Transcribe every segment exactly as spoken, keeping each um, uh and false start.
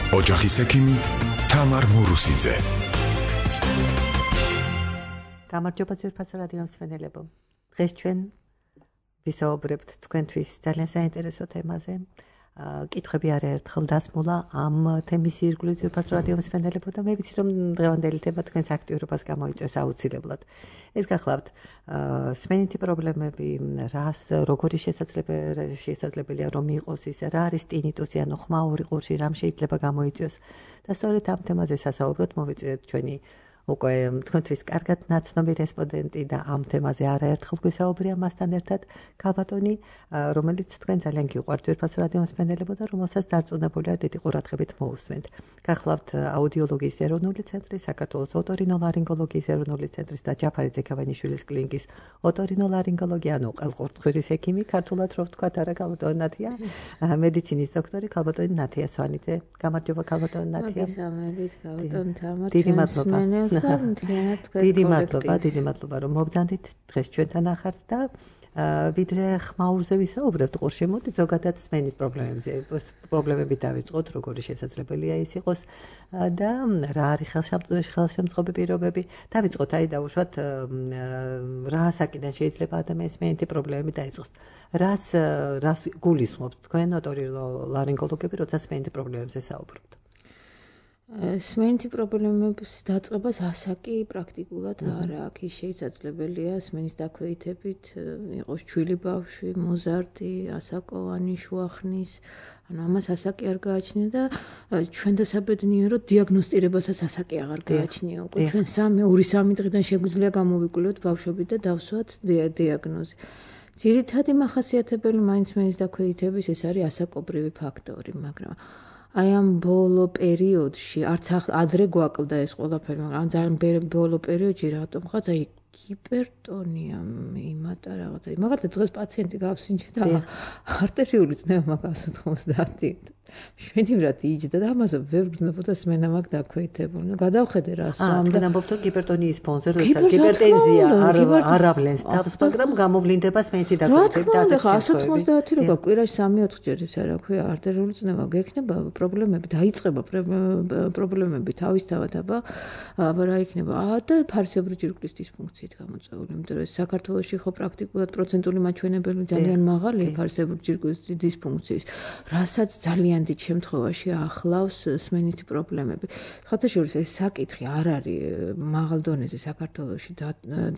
ოჯახის ექიმი თამარ მურუსიძე. გამარჯობა ძვირფასო რადიო მსმენელებო. დღეს ჩვენ ვისაუბრებთ თქვენთვის ძალიან საინტერესო თემაზე. კითხვები არაერთხელ დასმულა ამ თემის ირგვლივ ძვირფასო რადიო მსმენელებო და მე ვიცი რომ დღევანდელი თემა თქვენს აქტიურობას გამოიწვევს აუცილებლად. ეს გახლავთ სმენითი პრობლემები, რას როგორი შესაძლებელია რომ იყოს ის, რა არის ტინიტუსი ანუ ხმაური ყურში, რამ შეიძლება გამოიწვიოს და სწორედ ამ თემაზე სასაუბროთ მოვიწვიეთ ჩვენი უკვე თქვენთვის კარგად ნაცნობი რესპონდენტი და ამ თემაზე არაერთხელ გვისაუბრია მასთან ერთად ქალბატონი, რომელიც თქვენ ძალიან გიყვართ ძვირფასო რადიო მსმენელებო და რომელსაც დარწმუნებული ვარ დიდი ყურადღებით მოусვენთ. გახლავთ აუდიოლოგიის ეროვნული ცენტრის, საქართველოს ოტორინოლარინგოლოგიის ეროვნული ცენტრის და ჯაფარი ძექავენიშვილის კლინიკის ოტორინოლარინგოლოგი, ანუ ყელყურთხვილის ექიმი, ქართულად რო ვთქვათ, არა ქალბატონი ნათია, მედიცინის დოქტორი ქალბატონი ნათია სვანიძე. გამარჯობა ქალბატონი ნათია. მოგესალმებით ქალბატონი თამარ. დიდი მადლობა. დიდი მადლობა, დიდი მადლობა რომ მობრძანდით დღეს ჩვენთან ახართ და ვიდრე ხმაურზე ვისაუბრებთ ყურში, მოდი ზოგადად სმენის პრობლემებზე, პრობლემები დავიწყოთ, როგორი შესაძლებელია ის იყოს და რა არის ხელშემწყობი პირობები. დავიწყოთ აი დავუშვათ რა საკიდან შეიძლება ადამიანის სმენითი პრობლემები დაიწყოს. რას რას გულისხმობთ თქვენ ოტორინოლარინგოლოგები, როცა სმენითი პრობლემებზე საუბრობთ? სმენითი პრობლემების დაწყებას ასაკი პრაქტიკულად არ აქვს. ის შესაძლებელია სმენის დაქვეითებით იყოს ჩვილი ბავშვი, მოზარდი, ასაკოვანი, შუახნის, ანუ ამას ასაკი არ გააჩნია და ჩვენ დასაბედნიეროდ დიაგნოსტირებასაც ასაკი აღარ გააჩნია. უკვე ჩვენ სამი, ორი სამი დღიდან შეგვიძლია გამოვიკვლიოთ ბავშვები და დავსვათ დიაგნოზი. ძირითადი მახასიათებელი მაინც სმენის დაქვეითების ეს არის ასაკობრივი ფაქტორი, მაგრამ აი ამ ბოლო პერიოდში არც ადრე გვაკლდა ეს ყველაფერი, მაგრამ ძალიან ბოლო პერიოდში რატომღაც აი ჰიპერტონია იმატა რაღაცა. მაგალითად დღეს პაციენტი გავსინჯე და არტერიული წნევა მაგას ოცდაათი. შვენივრად იჯდა და ამაზე ვერ გძნობოდა სმენა მაგ დაქვეითებული. ნუ გადავხედე რას ამ და ამბობთ რომ ჰიპერტონიის ფონზე როდესაც ჰიპერტენზია არ არავლენს თავს, მაგრამ გამოვლინდება სმენითი დაქვეითებით და ასეთი შემთხვევები. one ოცდაათი როგორ კვირაში სამი ოთხ ჯერ ის არა ქვია არტერიული წნევა გექნება პრობლემები, დაიწყება პრობლემები თავისთავად, აბა აბა რა იქნება? და ფარისებრი ჯირკვლის დისფუნქციით გამოწვეული, იმიტომ რომ საქართველოში ხო პრაქტიკულად პროცენტული მაჩვენებელი ძალიან მაღალია ფარისებრი ჯირკვლის დისფუნქციის, რასაც ძალიან დიდ შემთხვევაში ახლავს სმენითი პრობლემები. ხათაშორის ეს საკითხი არ არის მაღალ დონეზე საქართველოში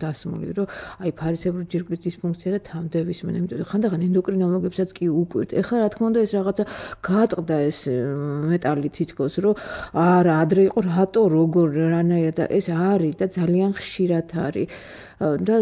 დასმული, რომ აი ფარისებრი ჯირკვლის დისფუნქცია და თამდები სმენა, იმიტომ რომ ხანდახან ენდოკრინოლოგებსაც კი უკვირთ. ეხლა რა თქმა უნდა ეს რაღაცა გაატყდა ეს მეტალი თითქოს, რომ არა ადრე იყო რატო როგორ რანაირად და ეს არის და ძალიან ხშირად არის. და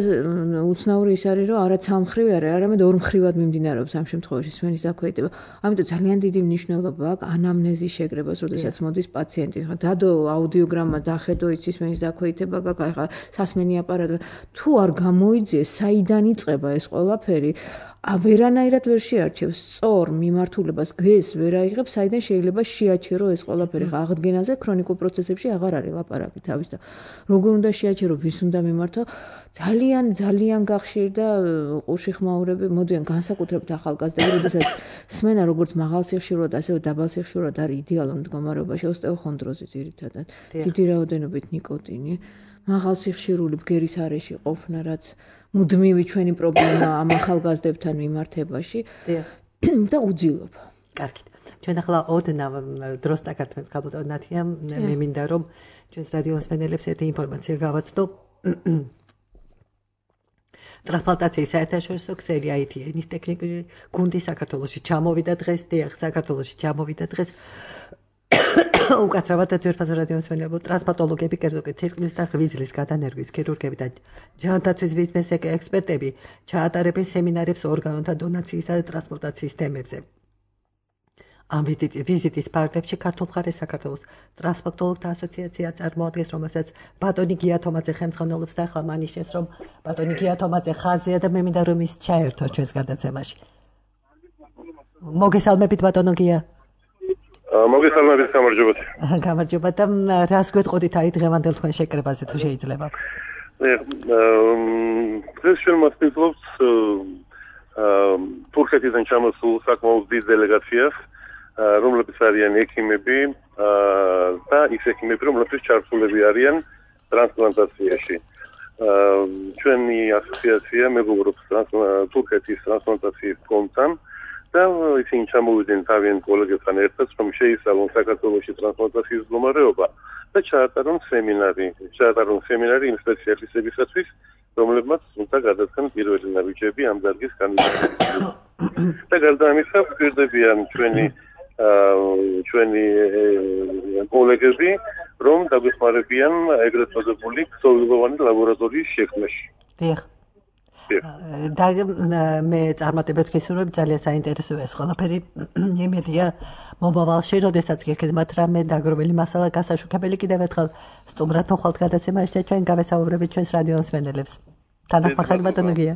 უცნაური ის არის, რომ არაც ამ მხრივ არის, არამედ ორ მხრივად მიმდინარეობს ამ შემთხვევაში სმენის დაქვეითება. ამიტომ ძალიან დიდი მნიშვნელობა აქვს ანამნეზის შეკრებას, როდესაც მოდის პაციენტი. დადო აუდიოგრამა, დახედო იცის სმენის დაქვეითება, გაკაი ხა სასმენი აპარატი. თუ არ გამოიძიეს, საიდან იწყება ეს ყველაფერი, ვერანაირად ვერ შეარჩევს სწორ მიმართულებას, გეს ვერ აიღებს, საიდან შეიძლება შეაჩერო ეს ყველაფერი. ხა აღდგენაზე ქრონიკულ პროცესებში აღარ არის ლაპარაკი თავის და როგორ უნდა შეაჩერო, ვის უნდა მიმართო, ძალიან ძალიან გახშირდა ყურში ხმაურები, მოდიან განსაკუთრებით ახალგაზრდები, როდესაც სმენა როგორც მაღალ სიხშირულად, ასევე დაბალ სიხშირულად არის იდეალურ მდგომარეობაში, ოსტეოხონდროზი ძირითადად, დიდი რაოდენობით ნიკოტინი, მაღალ სიხშირული ბგერის არეში ყოფნა, რაც მუდმივი ჩვენი პრობლემა ამ ახალგაზრდებთან მიმართებაში და უძილობა. კარგით. ჩვენ ახლა ოდნავ დროს წაგართმევთ ქალბატონი ნათია, მე მინდა რომ ჩვენს რადიო მსმენელებს ერთი ინფორმაცია გავაცნო. ტრანსპლანტაციის საერთაშორისო ქსელი აი თი ენის ტექნიკური გუნდი საქართველოში ჩამოვიდა დღეს, დიახ, საქართველოში ჩამოვიდა დღეს. უკაცრავად ძვირფასო რადიო მსმენელებო, ტრანსპლანტოლოგები, კერძო კი თირკმლის და ღვიძლის გადანერგვის ქირურგები და ჯანმრთელობის ბიზნეს ექსპერტები ჩაატარებენ სემინარებს ორგანოთა დონაციისა და ტრანსპლანტაციის თემებზე. ამ ვიზიტის პარალელში ქართულ მხარეს საქართველოს ტრანსპლანტოლოგთა ასოციაცია წარმოადგენს, რომელსაც ბატონი გია თომაძე ხელმძღვანელობს და ახლა მანიშნეს, რომ ბატონი გია თომაძე ხაზია და მე მინდა რომ ის ჩაერთოს ჩვენს გადაცემაში. მოგესალმებით ბატონო გია. მოგესალმებით, გამარჯობათ. გამარჯობა და რას გვეტყოდით აი დღევანდელ თქვენ შეკრებაზე თუ შეიძლება? დღეს ჩვენ მასპინძლობთ თურქეთიდან ჩამოსულ საკმაოდ დიდ დელეგაციას, რომლებიც არიან ექიმები, და ის ექიმები, რომლებიც ჩართულები არიან ტრანსპლანტაციაში. ჩვენი ასოციაცია მეგობრობს თურქეთის ტრანსპლანტაციის ფონდთან და ისინი ჩამოვიდნენ თავიანთ კოლეგებთან ერთად, რომ შეისწავლონ საქართველოში ტრანსპლანტაციის მდგომარეობა და ჩაატარონ სემინარი, ჩაატარონ სემინარი იმ სპეციალისტებისათვის, რომლებმაც უნდა გადაწყენ პირველი ნაბიჯები ამ დარგის კანდიდატურაზე. და გარდა ამისა, გვერდებიან ჩვენი ჩვენი კოლეგები, რომ დაგვეხმარებიან ეგრეთ წოდებული ქსოვილოვანი ლაბორატორიის შექმნაში. დიახ. და მე წარმატებებს გისურვებ, ძალიან საინტერესოა ეს ყველაფერი. იმედია მომავალში, როდესაც გექნებათ რამე დაგროვილი მასალა გასაშუქებელი, კიდევ ერთხელ სტუმრად მოხვალთ გადაცემაში და ჩვენ გავესაუბრებით ჩვენს რადიო მსმენელებს. თანახმახად ბატონო გია.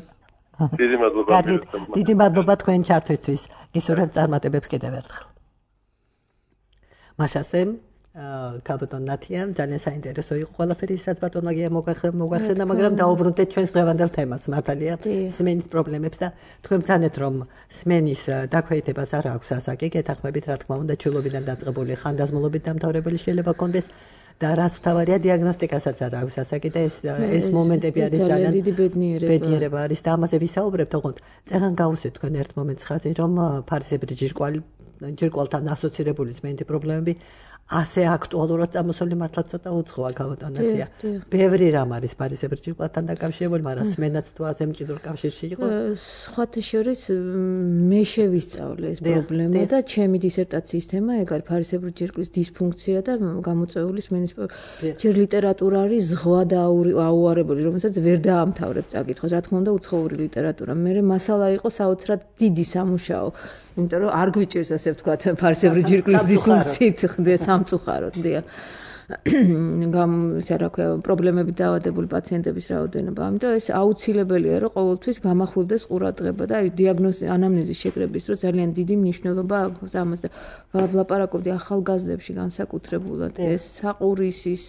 დიდი მადლობა. კარგით, დიდი მადლობა თქვენ ჩართვისთვის. გისურვებ წარმატებებს კიდევ ერთხელ. მაშასე კალბატონ ნათია ძალიან საინტერესო იყო ყველაფერი ის რაც ბატონმა გია მოგახსენა, მაგრამ დაუბრუნდეთ ჩვენს დღევანდელ თემას, მართალია, სმენის პრობლემებს და თქვენ ბრძანეთ რომ სმენის დაქვეითებას არ აქვს ასაკი, გეთანხმებით რა თქმა უნდა ჩულობიდან დაწყებული ხანდაზმულობით დამთავრებული შეიძლება კონდეს და რაც მთავარია დიაგნოსტიკასაც არ აქვს ასაკი და ეს ეს მომენტები არის ძალიან დიდი ბედნიერება. ბედნიერება არის და ამაზე ვისაუბრებთ, ოღონდ წეღან გავუსვით თქვენ ერთ მომენტს ხაზი რომ ფარისებრი ჯირკვალი ჯირკვალთან ასოცირებული სმენითი პრობლემები ასე აქტუალურად წამოსული მართლა ცოტა უცხოა გავუტანათია. ბევრი რამ არის ფარისებრი ჯირკვალთან დაკავშირებული, მაგრამ სმენაც თუ ასე მჭიდრო კავშირში იყო. სხვათა შორის მე შევისწავლე ეს პრობლემა და ჩემი დისერტაციის თემა ეგ არის ფარისებრი ჯირკვლის დისფუნქცია და გამოწვეული სმენის ჯერ ლიტერატურა არის ზღვა და აუარებელი, რომელსაც ვერ დაამთავრებ წაკითხოს. რა თქმა უნდა უცხოური ლიტერატურა. მე მასალა იყო საოცრად დიდი სამუშაო. იმიტომ რომ არ გვიჭირს ასე ვთქვათ ფარისებრი ჯირკვლის დისფუნქციით ხდება სამწუხაროდ დია გამ ისე რა ქვია პრობლემები დაავადებული პაციენტების რაოდენობა. ამიტომ ეს აუცილებელია რომ ყოველთვის გამახვილდეს ყურადღება და აი დიაგნოზის ანამნეზის შეკრების დროს ძალიან დიდი მნიშვნელობა აქვს ამას და ვლაპარაკობდი ახალგაზრდებში განსაკუთრებულად ეს საყურისის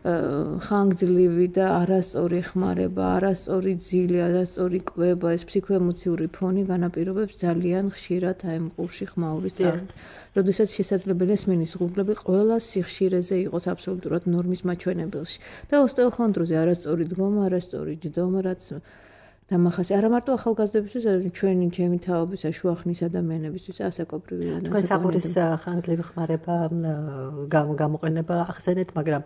ხანგრძლივი და არასწორი ხმარება, არასწორი ძილი, არასწორი კვება, ეს ფსიქოემოციური ფონი განაპირობებს ძალიან ხშირად აი ამ ყურში ხმაურის წარსულს. როდესაც შესაძლებელია სმენის ღრუბლები ყველა სიხშირეზე იყოს აბსოლუტურად ნორმის მაჩვენებელში. და ოსტეოხონდროზე არასწორი დგომა, არასწორი ჯდომა, რაც დამახასი არა მარტო ახალგაზრდებისთვის, ჩვენი ჩემი თაობისა შუახნის ადამიანებისთვის ასაკობრივი ადამიანებისთვის. თქვენ საყურის ხანგრძლივი ხმარება გამოყენება ახსენეთ, მაგრამ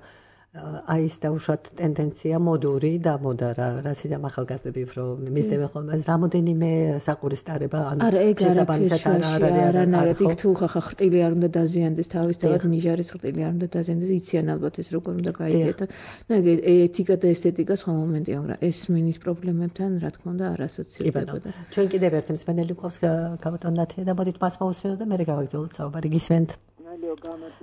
აი ეს დაუშვათ ტენდენცია მოდური და მოდარა რასიდან ახალგაზრდები უფრო მისდევენ ხოლმე რამოდენიმე საყურის ტარება ანუ შესაბამისად არ არის არა იქ თუ ხახა ხრტილი არ უნდა დაზიანდეს თავისთავად ნიჟარის ხრტილი არ უნდა დაზიანდეს იციან ალბათ ეს როგორ უნდა გაიგეთ და ეთიკა და ესთეტიკა სხვა მომენტია მაგრამ ეს სმენის პრობლემებთან რა თქმა უნდა არ ასოცირდებოდა ჩვენ კიდევ ერთი მსმენელი გვყავს კალბატონ ნათია და მოდით მას მოусვენოთ და მე გავაგრძელოთ საუბარი გისმენთ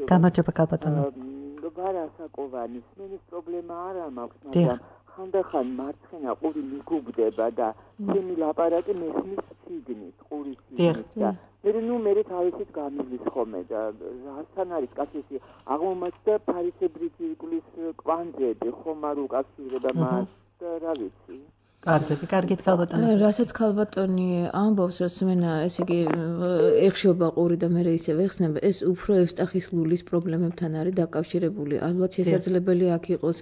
გამარჯობა კალბატონო გარასაკოვანი სმენის პრობლემა არა მაქვს, მაგრამ ხანდახან მარცხენა ყური მიგუბდება და ჩემი ლაპარაკი მესმის შიგნით, ყურის შიგნით და მე ნუ მე თავისით გამივლის ხოლმე და რასთან არის კაცი აღმომაჩნდა ფარისებრი ჯირკვლის კვანძები, ხომ არ უკავშირდება მას და რა ვიცი. კარგები, კარგით კალბატონი. რასაც კალბატონი ამბობს, რომ სმენა, ესე იგი, ეხშობა ყური და მე ისე ვეხსნება, ეს უფრო ევსტახის ლულის პრობლემებთან არის დაკავშირებული. ალბათ შესაძლებელია აქ იყოს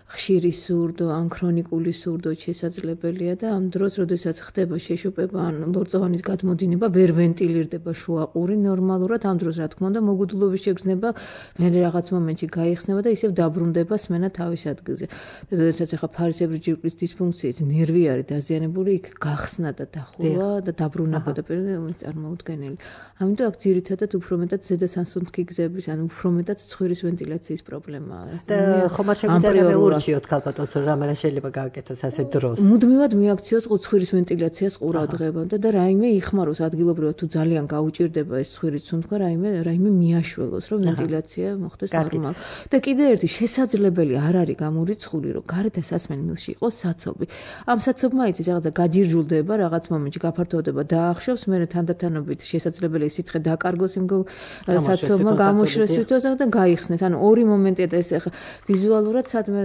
ხშირი სურდო, ან ქრონიკული სურდო შესაძლებელია და ამ დროს, როდესაც ხდება შეშუპება ან ლორწოვანის გადმოდინება, ვერ ვენტილირდება შუა ყური ნორმალურად, ამ დროს რა თქმა უნდა მოგუდულობის შეგრძნება მე რაღაც მომენტში გაიხსნება და ისევ დაბრუნდება სმენა თავის ადგილზე. და როდესაც ახლა ფარისებრი ჯირკვლის დისფუნქციით ნერვი არის დაზიანებული, იქ გახსნა და დახურვა და დაბრუნება და პირველი წარმოუდგენელი. ამიტომ აქ ძირითადად უფრო მეტად ზედასანსუნთქი გზების, ანუ უფრო მეტად ცხვირის ვენტილაციის პრობლემაა. და ხომ არ შეგვიძლია ურჩიოთ კალბატონს, რომ რამე შეიძლება გააკეთოს ასე დროს. მუდმივად მიაქციოს ცხვირის ვენტილაციას ყურადღებამდე და რაიმე იხმაროს ადგილობრივად თუ ძალიან გაუჭირდება ეს ცხვირის სუნთქვა, რაიმე რაიმე მიაშველოს, რომ ვენტილაცია მოხდეს ნორმალურად. და კიდე ერთი შესაძლებელი არ არის გამორიცხული, რომ გარეთ სასმენ მილში იყოს საცობი. ამ საცობმა იცის რაღაცა გაჯირჯულდება, რაღაც მომენტში გაფართოვდება და ახშობს, მე თანდათანობით შესაძლებელია სითხე დაკარგოს იმ საცობმა გამოშრეს თვითონ და გაიხსნეს. ანუ ორი მომენტია და ეს ახლა ვიზუალურად სადმე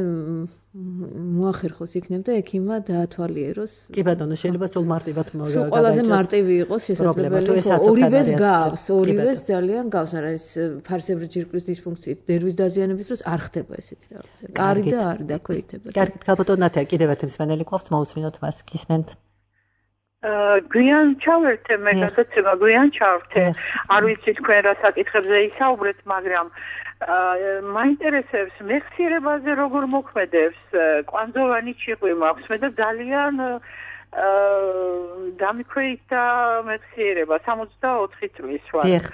მოახერხოს იქნებ და ექიმმა დაათვალიეროს. კი ბატონო, შეიძლება სულ მარტივად მოგა. ყველაზე მარტივი იყოს შესაძლებელი. ორივეს გავს, ორივეს ძალიან გავს, მაგრამ ეს ფარსებრი ჯირკვლის დისფუნქციით, ნერვის დაზიანების დროს არ ხდება ესეთი რაღაცა. კარი და არი დაქვეითება. კარგით, ქალბატონო ნათია, კიდევ ერთ მსმენელი გვაქვს, მოусმინოთ მას, გისმენთ. გვიან ჩავერთე მე გადაცემა გვიან ჩავერთე არ ვიცი თქვენ რა საკითხებზე ისაუბრეთ მაგრამ მაინტერესებს მეხსიერებაზე როგორ მოქმედებს კვანძოვანი ჭიყვი მაქვს მე და ძალიან დამიქვეითდა მეხსიერება სამოცდაოთხი წლის ვარ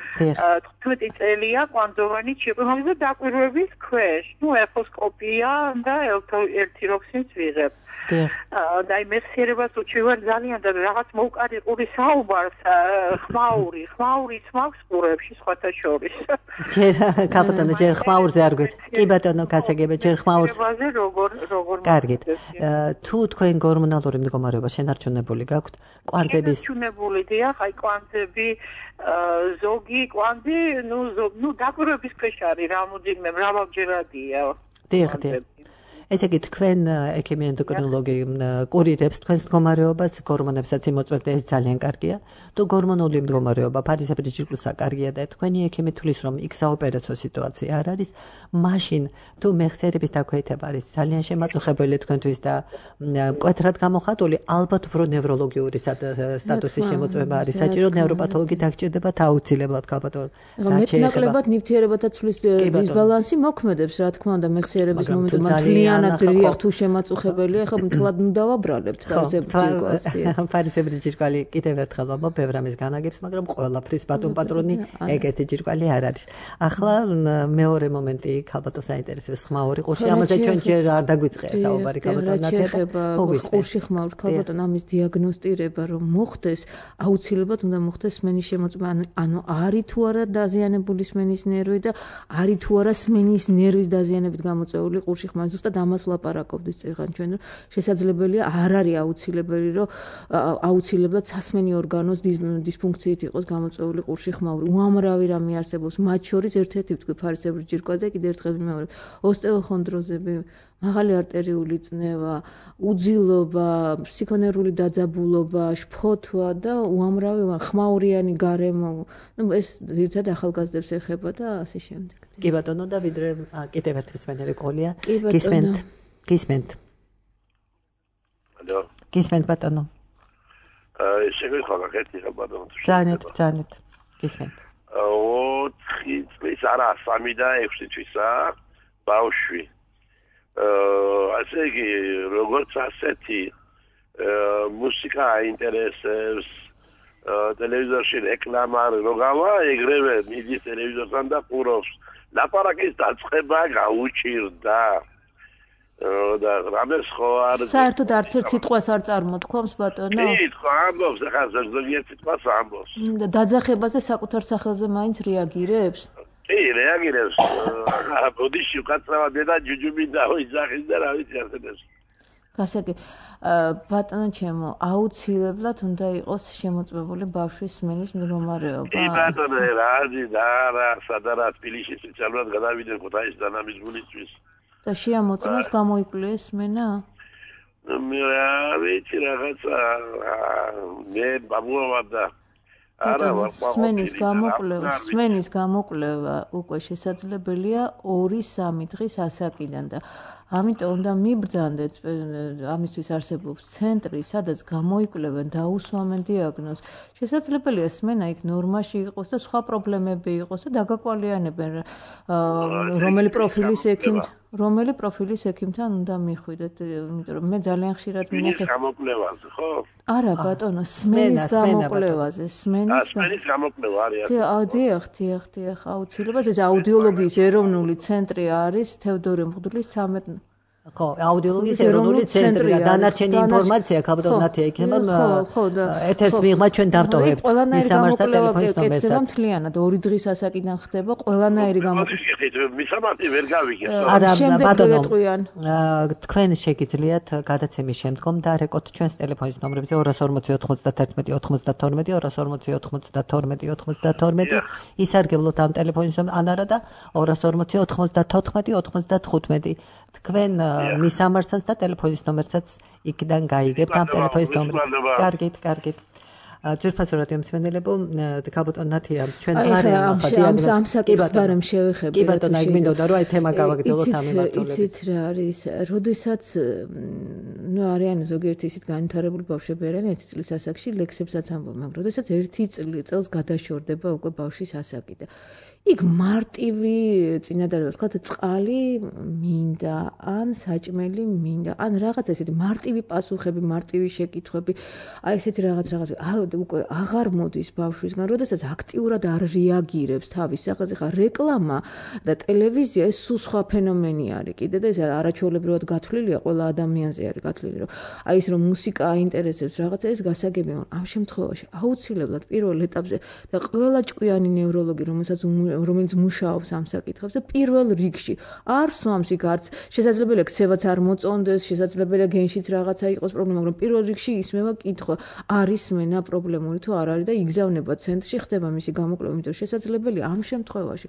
თხუთმეტი წელია კვანძოვანი ჭიყვი მაქვს და დაკვირვების ქვეშ ნუ ეხოსკოპია და ელთიროქსინს ვიღებ და მეხსიერებას უჩივარ ძალიან და რაღაც მოუკარი ყური საუბარს ხმაური ხმაურიც მაქვს ყურებში სხვათა შორის ჯერ ქალბატონო ჯერ ხმაურზე არ გვეს კი ბატონო გასაგებია ჯერ ხმაურზე როგორ როგორ კარგით თუ თქვენ გორმონალური მდგომარეობა შენარჩუნებული გაქვთ კვანძების შენარჩუნებული დიახ აი კვანძები ზოგი კვანძი ნუ ნუ დაკვირვების ქვეშ არის რამოდენიმე მრავალჯერადია დიახ დიახ ესე იგი თქვენ ექიმი ენდოკრინოლოგი კურირებს თქვენს მდგომარეობას, გორმონებსაც იმოწმებთ, ეს ძალიან კარგია. თუ გორმონული მდგომარეობა ფარისებრი ჯირკვლისა კარგია და თქვენი ექიმი თulis რომ იქ საოპერაციო სიტუაცია არ არის, მაშინ თუ მეხსიერების დაქვეითება არის ძალიან შემაწუხებელი თქვენთვის და მკვეთრად გამოხატული, ალბათ უფრო ნევროლოგიური სტატუსის შემოწმება არის საჭირო, ნევროპათოლოგი დაგჭირდებათ აუცილებლად ქალბატონო. მეტნაკლებად ნივთიერებათა ცვლის დისბალანსი მოქმედებს, რა თქმა უნდა, მეხსიერების მომენტში ანადრიახ თუ შემაწუხებელია, ხო მთლად დავაბრალებთ ფარისებრი ჯირკვალი კიდევ ერთხელ ვამბობ, ბევრ ამის განაგებს, მაგრამ ყველაფრის ბატონ პატრონი ეგეთი ჯირკვალი არ არის. ახლა მეორე მომენტი ქალბატონს აინტერესებს ხმაური ყურში, ამაზე ჩვენ ჯერ არ დაგვიწყია საუბარი ქალბატონ ნათია და მოგისმენთ. ყურში ხმაური ქალბატონ ამის დიაგნოსტირება რომ მოხდეს, აუცილებლად უნდა მოხდეს სმენის შემოწმება, ანუ არის თუ არა დაზიანებული სმენის ნერვი და არის თუ არა სმენის ნერვის დაზიანებით გამოწვეული ყურში ხმაური ზუსტად ამას ვლაპარაკობდით წეგან ჩვენ რომ შესაძლებელია არ არის აუცილებელი რომ აუცილებლად სასმენი ორგანოს დისფუნქციით იყოს გამოწვეული ყურში ხმაური უამრავი რამე არსებობს მათ შორის ერთ-ერთი ვთქვი ფარისებრი ჯირკვა და კიდევ ერთხელ მეორე ოსტეოხონდროზები მაღალი არტერიული წნევა უძილობა ფსიქონერული დაძაბულობა შფოთვა და უამრავი ხმაურიანი გარემო ну ეს ერთად ახალგაზრდებს ეხება და ასე შემდეგ კი ბატონო და ვიდრე კიდევ ერთი მსმენელი ყოლია გისმენთ გისმენთ ალო გისმენთ ბატონო აა შეგვიხარ გაკეთე ბატონო ძალიან ძალიან გისმენთ ოთხი წლის არა სამი და ექვსი წლისა ბავშვი ასე იგი როგორც ასეთი მუსიკა აინტერესებს ტელევიზორში რეკლამა როგავა ეგრევე მიდის ტელევიზორთან და ყურობს ლაპარაკის დაწყება გაუჭირდა და რამეს ხო არ საერთოდ არც ერთ სიტყვას არ წარმოთქვამს ბატონო კი ხო ამბობს ახლა ზოგიერთ სიტყვას ამბობს და დაძახებაზე საკუთარ სახელზე მაინც რეაგირებს კი რეაგირებს ახლა ბოდიში უკაცრავად და ჯუჯუმი დაიძახის და რა ვიცი ასეთებს გასაგე ბატონო ჩემო აუცილებლად უნდა იყოს შემოწმებული ბავშვის სმენის მდგომარეობა კი ბატონო რადი და რა სადარა თბილისში სპეციალურად გადავიდნენ ქუთაისის დანამის გულისთვის და შეამოწმოს გამოიკვლია სმენა მე ვიცი რაღაცა მე ბაბუა და არა სმენის გამოკვლევა სმენის გამოკვლევა უკვე შესაძლებელია ორი სამი დღის ასაკიდან და ამიტომ უნდა მიბრძანდეთ ამისთვის არსებობს ცენტრი სადაც გამოიკვლევენ და უსვამენ დიაგნოზს შესაძლებელია სმენა იქ ნორმაში იყოს და სხვა პრობლემები იყოს და დაგაკვალიანებენ რომელი პროფილის ექიმ რომელი პროფილის ექიმთან უნდა მიხვიდეთ იმიტომ რომ მე ძალიან ხშირად მინახეთ გამოკვლევაზე ხო არა ბატონო სმენის გამოკვლევაზე სმენის გამოკვლევა არის დიახ დიახ დიახ აუცილებლად ეს აუდიოლოგიის ეროვნული ცენტრი არის თევდორე მღვდლის სამეთ ხო აუდიოლოგიის ეროვნული ცენტრი და დანარჩენი ინფორმაცია ქალბატონ ნათია იქნება ეთერს მიღმა ჩვენ დავტოვებთ მისამართთა ტელეფონის ნომერსაც მთლიანად ორი დღის ასაკიდან ხდება ყველანაირი გამოკვლევა მისამართი ვერ გავიგე არა ბატონო თქვენ შეგიძლიათ გადაცემის შემდგომ დარეკოთ ჩვენს ტელეფონის ნომრებზე ორას ორმოცი ოთხმოცდათერთმეტი ოთხმოცდათორმეტი ორას ორმოცი ოთხმოცდათორმეტი ოთხმოცდათორმეტი ისარგებლოთ ამ ტელეფონის ან არა და ორას ორმოცი ოთხმოცდათოთხმეტი ოთხმოცდათხუთმეტი თქვენ მისამართსაც და ტელეფონის ნომერსაც იქიდან გაიგებთ ამ ტელეფონის ნომერს. კარგით, კარგით. ჯერფასო რადიო მსმენელებო, გაბატონ ნათია, ჩვენ მარიამ ახლა დიაგნოზი. ამ საკითხს ბარემ შევეხები. კი ბატონო, აი მინდოდა რომ აი თემა გავაგრძელოთ ამ მიმართულებით. იცით რა არის, როდესაც ნუ არიან ზოგიერთი ისეთ განვითარებული ბავშვები არიან ერთი წლის ასაკში ლექსებსაც ამბობენ, მაგრამ როდესაც ერთი წელს გადაშორდება უკვე ბავშვის ასაკი და იქ მარტივი წინადადება, თქვა წყალი მინდა, ან საჭმელი მინდა, ან რაღაც ესეთი მარტივი პასუხები, მარტივი შეკითხვები, აი ესეთი რაღაც რაღაც უკვე აღარ მოდის ბავშვისგან, როდესაც აქტიურად არ რეაგირებს თავის სახელზე, ხა რეკლამა და ტელევიზია ეს სულ სხვა ფენომენი არის კიდე და ეს არაჩვეულებრივად გათვლილია, ყველა ადამიანზე არის გათვლილი, რომ აი ეს რომ მუსიკა აინტერესებს რაღაცა ეს გასაგებია, ამ შემთხვევაში აუცილებლად პირველ ეტაპზე და ყველა ჭკვიანი ნევროლოგი, რომელსაც რომელიც მუშაობს ამ საკითხებზე და პირველ რიგში არ სვამს იქ არც შესაძლებელია ქცევაც არ მოწონდეს, შესაძლებელია გენშიც რაღაცა იყოს პრობლემა, მაგრამ პირველ რიგში ისმევა კითხვა, არის მენა პრობლემური თუ არ არის და იგზავნება ცენტრში, ხდება მისი გამოკვლევა, იმიტომ რომ შესაძლებელია ამ შემთხვევაში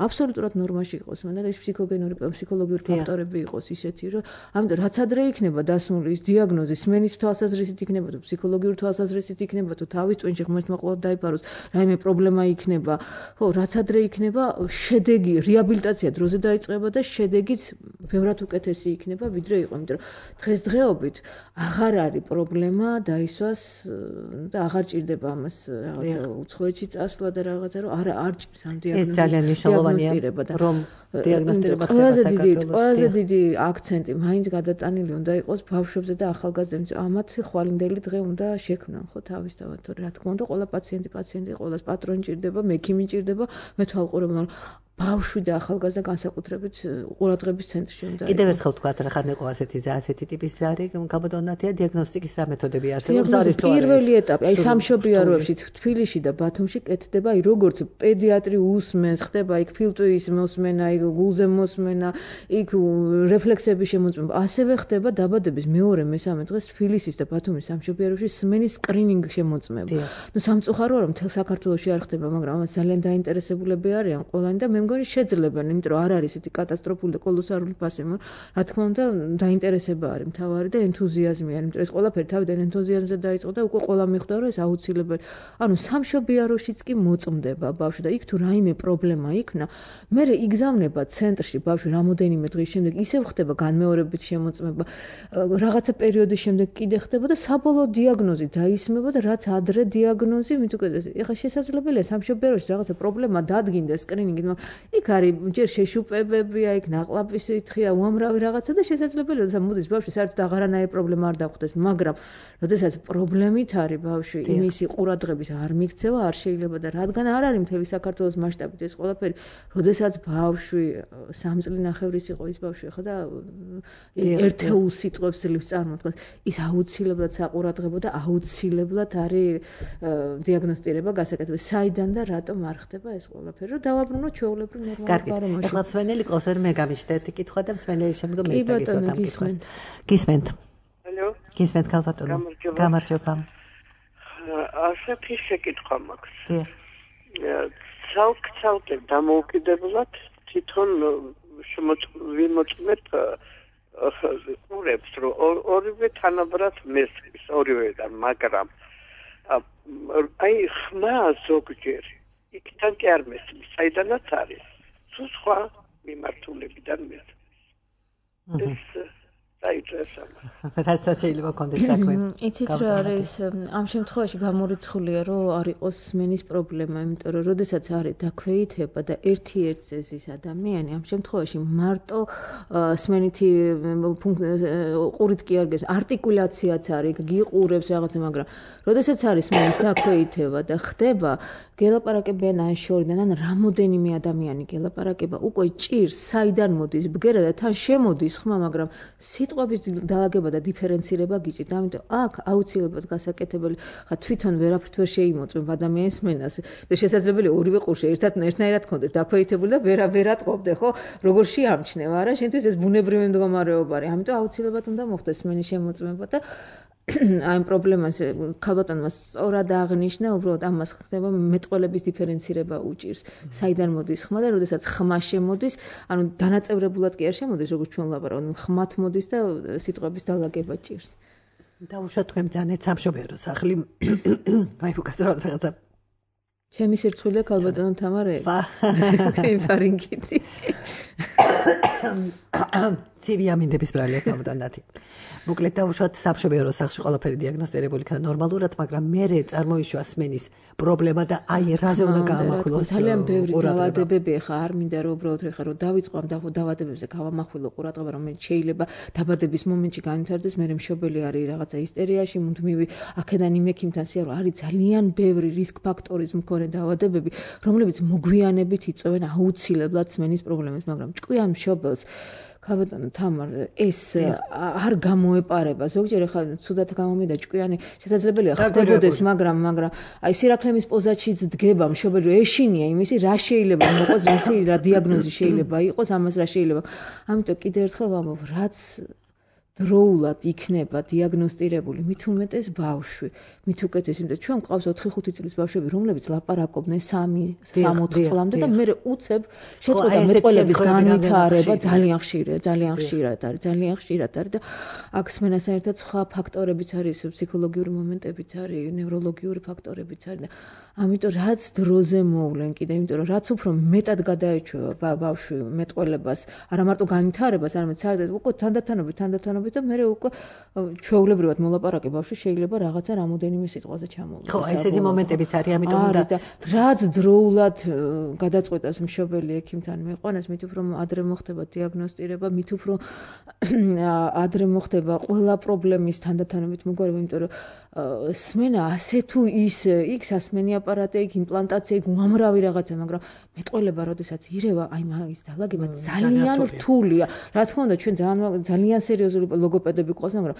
აბსოლუტურად ნორმაში იყოს, მაგრამ ეს ფსიქოგენური ფსიქოლოგიური ფაქტორები იყოს ისეთი, რომ ამიტომ რაც ადრე იქნება დასმული ის დიაგნოზი, სმენის თვალსაზრისით იქნება თუ ფსიქოლოგიური თვალსაზრისით იქნება თუ თავის ტვინში ღმერთმა ყოველ დაიფაროს, რაიმე პრობლემა იქნება, ხო, რაც ადრე იქნება შედეგი, რეაბილიტაცია დროზე დაიწყება და შედეგიც ბევრად უკეთესი იქნება, ვიდრე იყო, იმიტომ რომ დღესდღეობით აღარ არის პრობლემა დაისვას და აღარ ჭირდება ამას რაღაცა უცხოეთში წასვლა და რაღაცა, რომ არა არ ჭირს ამ დიაგნოზის. ეს ძალიან მნიშვნელოვანია, რომ დიაგნოსტირება ხდება საქართველოში. ყველაზე დიდი აქცენტი მაინც გადატანილი უნდა იყოს ბავშვებზე და ახალგაზრდებზე. ამათ ხვალინდელი დღე უნდა შექმნან, ხო, თავისთავად, თორე რა თქმა უნდა, ყველა პაციენტი პაციენტი, ყველას პატრონი ჭირდება, მექიმი ჭირდება, მეთვალყურება, მაგრამ ბავშვი და ახალგაზრდა განსაკუთრებით ყურადღების ცენტრში უნდა. კიდევ ერთხელ თქვა, რა ხან იყო ასეთი ასეთი ტიპის არის, გაბატონათია დიაგნოსტიკის რა მეთოდები არსებობს არის თუ არა? პირველი ეტაპი, აი სამშობიაროებში თბილისში და ბათუმში კეთდება, აი როგორც პედიატრი უსმენს, ხდება იქ ფილტვის მოსმენა, იქ გულზე მოსმენა, იქ რეფლექსების შემოწმება, ასევე ხდება დაბადების მეორე მესამე დღეს თბილისის და ბათუმის სამშობიაროებში სმენის სკრინინგი შემოწმება. ნუ სამწუხაროა რომ მთელ საქართველოში არ ხდება, მაგრამ ამას ძალიან დაინტერესებულები არიან ყველანი და მე მგონი შეძლებენ, იმიტომ რომ არ არის ისეთი კატასტროფული და კოლოსალური ფასი, რა თქმა უნდა, დაინტერესება არის მთავარი და ენთუზიაზმი არის, იმიტომ რომ ეს ყველაფერი თავიდან ენთუზიაზმზე დაიწყო და უკვე ყველა მიხვდა, რომ ეს აუცილებელი. ანუ სამშობიაროშიც კი მოწმდება ბავშვი და იქ თუ რაიმე პრობლემა იქნა, მე იგზავნება ცენტრში ბავშვი რამოდენიმე დღის შემდეგ, ისევ ხდება განმეორებით შემოწმება, რაღაცა პერიოდის შემდეგ კიდე ხდება და საბოლოო დიაგნოზი დაისმება და რაც ადრე დიაგნოზი, მით უკეთეს. ეხლა შესაძლებელია სამშობიაროში რაღაცა პრობლემა დადგინდეს სკრინინგით, იქ არის ჯერ შეშუპებებია, იქ ნაყლაპის ითხია, უამრავი რაღაცა და შესაძლებელია, რომ მოდის ბავშვი საერთოდ აღარანაირი პრობლემა არ დახვდეს, მაგრამ როდესაც პრობლემით არის ბავშვი, იმისი ყურადღების არ მიქცევა არ შეიძლება და რადგან არ არის მთელი საქართველოს მასშტაბით ეს ყველაფერი, როდესაც ბავშვი სამ წლინახევრის იყო ის ბავშვი ხა და ერთეულ სიტყვებს ძლივს წარმოთქვას, ის აუცილებლად საყურადღებო და აუცილებლად არის დიაგნოსტირება გასაკეთებელი. საიდან და რატომ არ ხდება ეს ყველაფერი, რომ დავაბრუნოთ ჩვეულებრივ ნორმალურ გარემოში. ეხლა მსმენელი ყავს ვერ მე გამიჩნდა ერთი კითხვა და მსმენელი შემდგომ ეს დაგისვათ ამ კითხვას. გისმენთ. ალო. გისმენთ ქალბატონო. გამარჯობა. ასეთი შეკითხვა მაქვს. დიახ. ცალკ-ცალკე დამოუკიდებლად თვითონ შემოწმეთ ყურებს, რომ ორივე თანაბრად მესმის, ორივეიდან, მაგრამ აი ხმა ზოგჯერ იქიდან კი არ მესმის, საიდანაც არის. თუ სხვა მიმართულებიდან მესმის. ეს საერთოდ რასაც შეიძლება კონდეს საქმე. იცით რა არის, ამ შემთხვევაში გამორიცხულია, რომ არ იყოს სმენის პრობლემა, იმიტომ რომ როდესაც არის დაქვეითება და ერთი ერთზე ზის ადამიანი, ამ შემთხვევაში მარტო სმენითი ყურით კი არ გეს, არტიკულაციაც არის, გიყურებს რაღაცა, მაგრამ როდესაც არის სმენის დაქვეითება და ხდება გელაპარაკებიან ან შორიდან, ან რამოდენიმე ადამიანი გელაპარაკება, უკვე ჭირს, საიდან მოდის ბგერა და თან შემოდის ხმა, მაგრამ სიტყვების დაალაგება და დიფერენცირება გიჭირთ. ამიტომ აქ აუცილებლად გასაკეთებელი, ხა თვითონ ვერაფრით ვერ შეიმოწმებ ადამიანის სმენას და შესაძლებელია ორივე ყურში ერთად ერთნაირად კონდეს დაქვეითებული და ვერა ვერატყობდე, ხო? როგორ შეამჩნევ, არა? შენთვის ეს ბუნებრივი მდგომარეობა არის. ამიტომ აუცილებლად უნდა მოხდეს სმენის შემოწმება და აი პრობლემას ქალბატონმა სწორად აღნიშნა, უბრალოდ ამას ხდება მეტყველების დიფერენცირება უჭირს. საიდან მოდის ხმა და როდესაც ხმა შემოდის, ანუ დანაწევრებულად კი არ შემოდის, როგორც ჩვენ ვლაპარაკობთ, ხმათ მოდის და სიტყვების დალაგება ჭირს. დაუშვათ თქვენ ძალიან სამშობიარო სახლი. აი უკაცრავად რაღაცა. ჩემი სირცხვილია ქალბატონო თამარე. ფარინგიტი. ცივი ამინდების ბრალია ქალბატონათი. მოკლედ დაუშვათ სამშობიარო სახლში ყველაფერი დიაგნოსტირებული იქნა ნორმალურად, მაგრამ მერე წარმოიშვა სმენის პრობლემა და აი რაზე უნდა გაამახვილოს. ძალიან ბევრი დაავადებები ხა არ მინდა რომ უბრალოდ ხა რომ დავიწყო ამ დაავადებებზე გავამახვილო ყურადღება, რომელიც შეიძლება დაბადების მომენტში განვითარდეს, მერე მშობელი არის რაღაცა ისტერიაში, მუდმივი აქედან იმ ექიმთან სია რომ არის ძალიან ბევრი რისკ ფაქტორის მქონე დაავადებები, რომლებიც მოგვიანებით იწვევენ აუცილებლად სმენის პრობლემებს, მაგრამ ჭკვიან მშობელს ქალბატონო თამარ ეს არ გამოეპარება ზოგჯერ ხა ცუდად გამომიდა ჭკვიანი შესაძლებელია ხდებოდეს მაგრამ მაგრამ აი სირაქლემის პოზაშიც დგება მშობელი რომ ეშინია იმისი რა შეიძლება მოყოს რა დიაგნოზი შეიძლება იყოს ამას რა შეიძლება ამიტომ კიდევ ერთხელ ვამბობ რაც დროულად იქნება დიაგნოსტირებული მით უმეტეს ბავშვი მით უკეთეს იმიტომ ჩვენ ყავს ოთხი ხუთი წლის ბავშვები რომლებიც ლაპარაკობდნენ სამი სამოთხ წლამდე და მე უცებ შეწყვეტა მეტყველების განვითარება ძალიან ხშირია ძალიან ხშირად არის ძალიან ხშირად არის და აქ სმენასთან ერთად სხვა ფაქტორებიც არის ფსიქოლოგიური მომენტებიც არის ნევროლოგიური ფაქტორებიც არის და ამიტომ რაც დროზე მოვლენ კიდე იმიტომ რომ რაც უფრო მეტად გადაეჩვევა ბავშვი მეტყველებას არა მარტო განვითარებას არამედ საერთოდ უკვე თანდათანობით თანდათანობით და მე უკვე ჩვეულებრივად მოლაპარაკე ბავშვი შეიძლება რაღაცა რამოდენიმე სიტყვაზე ჩამოვიდეს. ხო, ესეთი მომენტებიც არის, ამიტომ უნდა რაც დროულად გადაწყვეტას მშობელი ექიმთან მეყვანას, მით უფრო ადრე მოხდება დიაგნოსტირება, მით უფრო ადრე მოხდება ყველა პრობლემის თანდათანობით მოგვარება, იმიტომ რომ სმენა ასე თუ ის იქ სასმენი აპარატი, იქ იმპლანტაცია, იქ უამრავი რაღაცა, მაგრამ მეტყველება როდესაც ირევა, აი მაგის დალაგება ძალიან რთულია. რა თქმა უნდა, ჩვენ ძალიან ძალიან სერიოზული ლოგოპედები ყავს, მაგრამ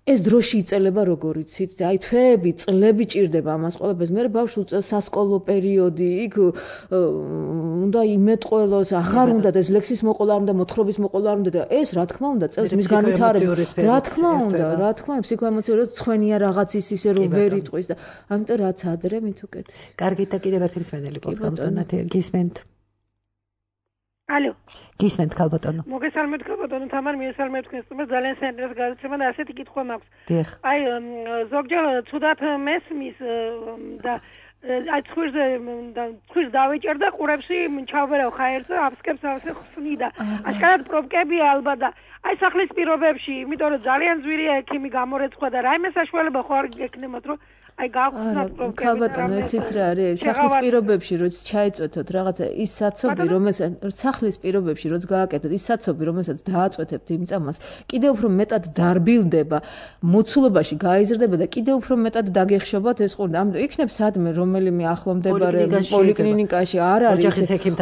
ეს დროში იწელება როგორ იცით, აი თვეები, წლები ჭირდება ამას ყველაფერს. მე ბავშვს უწევს სასკოლო პერიოდი, იქ უნდა იმეტყველოს, აღარ უნდა და ეს ლექსის მოყოლა არ უნდა, მოთხრობის მოყოლა არ უნდა და ეს რა თქმა უნდა წელს მის განვითარებას. რა თქმა უნდა, რა თქმა უნდა, ფსიქოემოციურად ცხენია რაღაც ის ისე რომ ვერ იტყვის და ამიტომ რაც ადრე მით უკეთ. კარგით და კიდევ ერთი მსმენელი ყავს ქალბატონათი, გისმენთ? ალო. გისმენთ ქალბატონო. მოგესალმებით ქალბატონო თამარ, მიესალმებით თქვენს თემას, ძალიან საინტერესო გადაცემა და ასეთი კითხვა მაქვს. აი ზოგჯერ ცუდად მესმის და აი ცხვირზე და ცხვირს დავეჭერ და ყურებში ჩავბერავ ხაერს და აფსკებს ასე ხსნიდა. აშკარად პრობლემებია ალბათ და აი სახლის პირობებში, იმიტომ რომ ძალიან ძვირია ექიმი გამორეცხვა და რაიმე საშუალება ხო არ გექნებათ რომ აი გავხსნათ პრობლემები. ქალბატონო, იცით რა არის? სახლის პირობებში როც ჩაეწვეთოთ რაღაცა ის საცობი, რომელსაც სახლის პირობებში როც გააკეთოთ ის საცობი, რომელსაც დააწვეთებთ იმ წამას, კიდევ უფრო მეტად დარბილდება, მოცულობაში გაიზრდება და კიდევ უფრო მეტად დაგეხშობათ ეს ყურდა. ამიტომ იქნებ სადმე რომელიმე ახლომდებარე პოლიკლინიკაში არ არის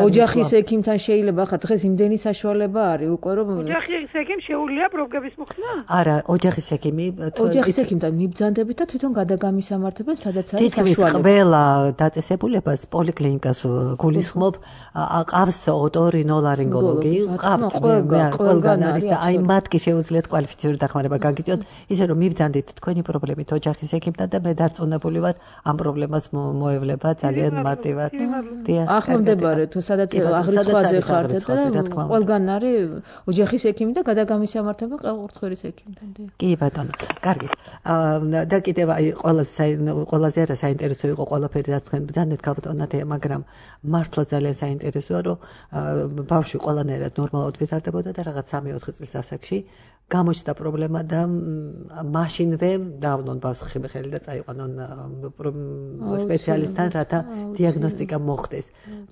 ოჯახის ექიმთან შეიძლება ხა დღეს იმდენი საშუალება არის უკვე რომ ოჯახის ექიმ შეუძლია პრობლემის მოხსნა? არა, ოჯახის ექიმი ოჯახის ექიმთან მიბრძანდებით და თვითონ გადაგამის ამართებენ სადაც არის საშუალება. თითქმის ყველა დაწესებულებას პოლიკლინიკას გულისხმობ, ყავს ოტორინოლარინგოლოგი, ყავთ ყველგან არის და აი მათ კი შეუძლიათ კვალიფიციური დახმარება გაგიწიოთ, ისე რომ მიბრძანდით თქვენი პრობლემით ოჯახის ექიმთან და მე დარწმუნებული ვარ ამ პრობლემას მოევლება ძალიან მარტივად. ახლომდებარე თუ სადაც აღრიცხვაზე ხართ და ყველგან არის ოჯახის ექიმი და გადაგამის ამართება ყელყურთხევის ექიმთან. კი ბატონო, კარგი. და კიდევ აი ყველაზე ყველაზე არა საინტერესო იყო ყველაფერი რაც თქვენ ბრძანდეთ ქალბატონათი, მაგრამ მართლა ძალიან საინტერესოა რომ ბავშვი ყველანაირად ნორმალურად ვითარდებოდა და რაღაც სამი ოთხი წლის ასაკში გამოჩნდა პრობლემა და მაშინვე დავნონ ბავშვს ხელი და წაიყვანონ სპეციალისტთან, რათა დიაგნოსტიკა მოხდეს.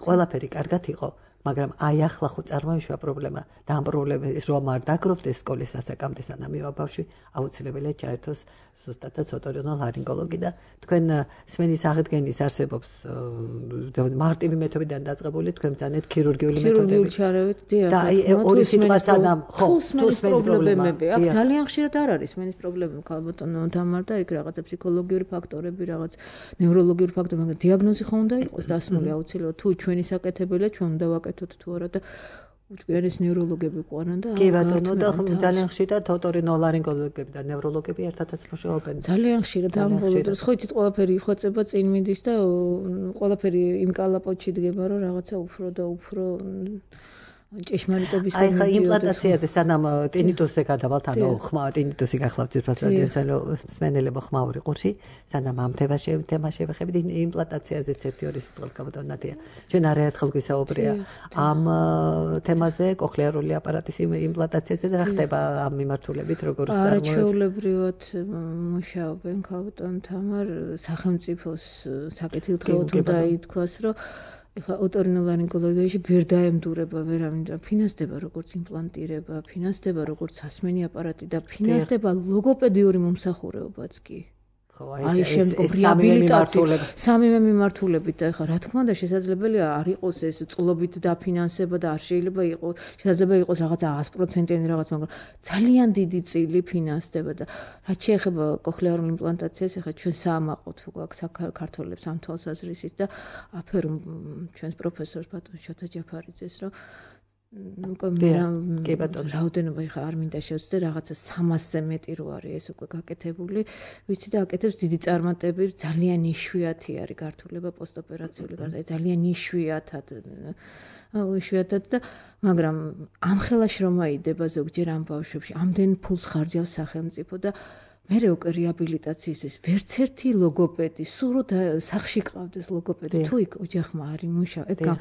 ყველაფერი კარგად იყო, მაგრამ აი ახლა ხო წარმოიშვა პრობლემა და ამ პრობლემის რომ არ დაგროვდეს სკოლის ასაკამდე სანამ ბავშვი აუცილებელია ჩაერთოს ზუსტადაც ოტორინოლარინგოლოგი და თქვენ სმენის აღდგენის არსებობს მარტივი მეთოდიდან დაწყებული თქვენ ბრძანეთ ქირურგიული მეთოდები და აი ორი სიტყვა სანამ ხო თუ სმენის პრობლემები აქ ძალიან ხშირად არ არის სმენის პრობლემა ქალბატონო თამარ და იქ რაღაცა ფსიქოლოგიური ფაქტორები რაღაც ნევროლოგიური ფაქტორები მაგრამ დიაგნოზი ხო უნდა იყოს დასმული აუცილებლად თუ ჩვენი საკეთებელია ჩვენ უნდა ვაკეთოთ თუ არა და უჭკვიანეს ნევროლოგები ყვანან და კი ბატონო და ძალიან ხშირად ოტორინოლარინგოლოგები და ნევროლოგები ერთადაც მუშაობენ. ძალიან ხშირად ამ ბოლო დროს ხო იცით ყველაფერი იხვეწება წინ მიდის და ყველაფერი იმ კალაპოტში დგება რომ რაღაცა უფრო და უფრო ჭეშმარიტების აი ხა იმპლანტაციაზე სანამ ტინიტუსზე გადავალთ ანუ ხმა ტინიტუსი გახლავთ ძირფას რადიოსალო სმენელებო ხმაური ყურში სანამ ამ თემაში თემა შევეხებით იმპლანტაციაზეც ერთი ორი სიტყვით გაბატონათია ჩვენ არაერთხელ გვისაუბრია ამ თემაზე კოხლიარული აპარატის იმპლანტაციაზე და რა ხდება ამ მიმართულებით როგორ წარმოებს არაჩვეულებრივად მუშაობენ ქალბატონ თამარ სახელმწიფოს საკეთილდღეოდ უნდა ითქვას რომ ეხლა ოტორინოლარინგოლოგიაში ვერ დაემდურება ვერავინ და ფინანსდება როგორც იმპლანტირება, ფინანსდება როგორც სასმენი აპარატი და ფინანსდება ლოგოპედიური მომსახურებაც კი. აი შემდგომ რეაბილიტაცია სამივე მიმართულებით და ეხლა რა თქმა უნდა შესაძლებელია არ იყოს ეს წყლობით დაფინანსება და არ შეიძლება იყოს შესაძლებელი იყოს რაღაცა sto პროცენტიანი რაღაც მაგრამ ძალიან დიდი წილი ფინანსდება და რაც შეეხება კოხლიარულ იმპლანტაციას ეხლა ჩვენ საამაყოთ გვაქვს საქართველოს ამ თვალსაზრისით და აფერო ჩვენს პროფესორს ბატონ შოთა ჯაფარიძეს რომ კი ბატონო რაოდენობა ეხა არ მინდა შევცდე რაღაცა სამასზე მეტი რო არის ეს უკვე გაკეთებული ვიცი და აკეთებს დიდი წარმატები ძალიან იშვიათი არის გართულება პოსტოპერაციული გარდა ძალიან იშვიათად იშვიათად და მაგრამ ამ ხელაში რომ აიდება ზოგჯერ ამ ბავშვებში ამდენ ფულს ხარჯავს სახელმწიფო და მერე უკვე რეაბილიტაციის ეს ვერც ერთი ლოგოპედი სულ სახში ყავდეს ლოგოპედი თუ იქ ოჯახმა არ იმუშავა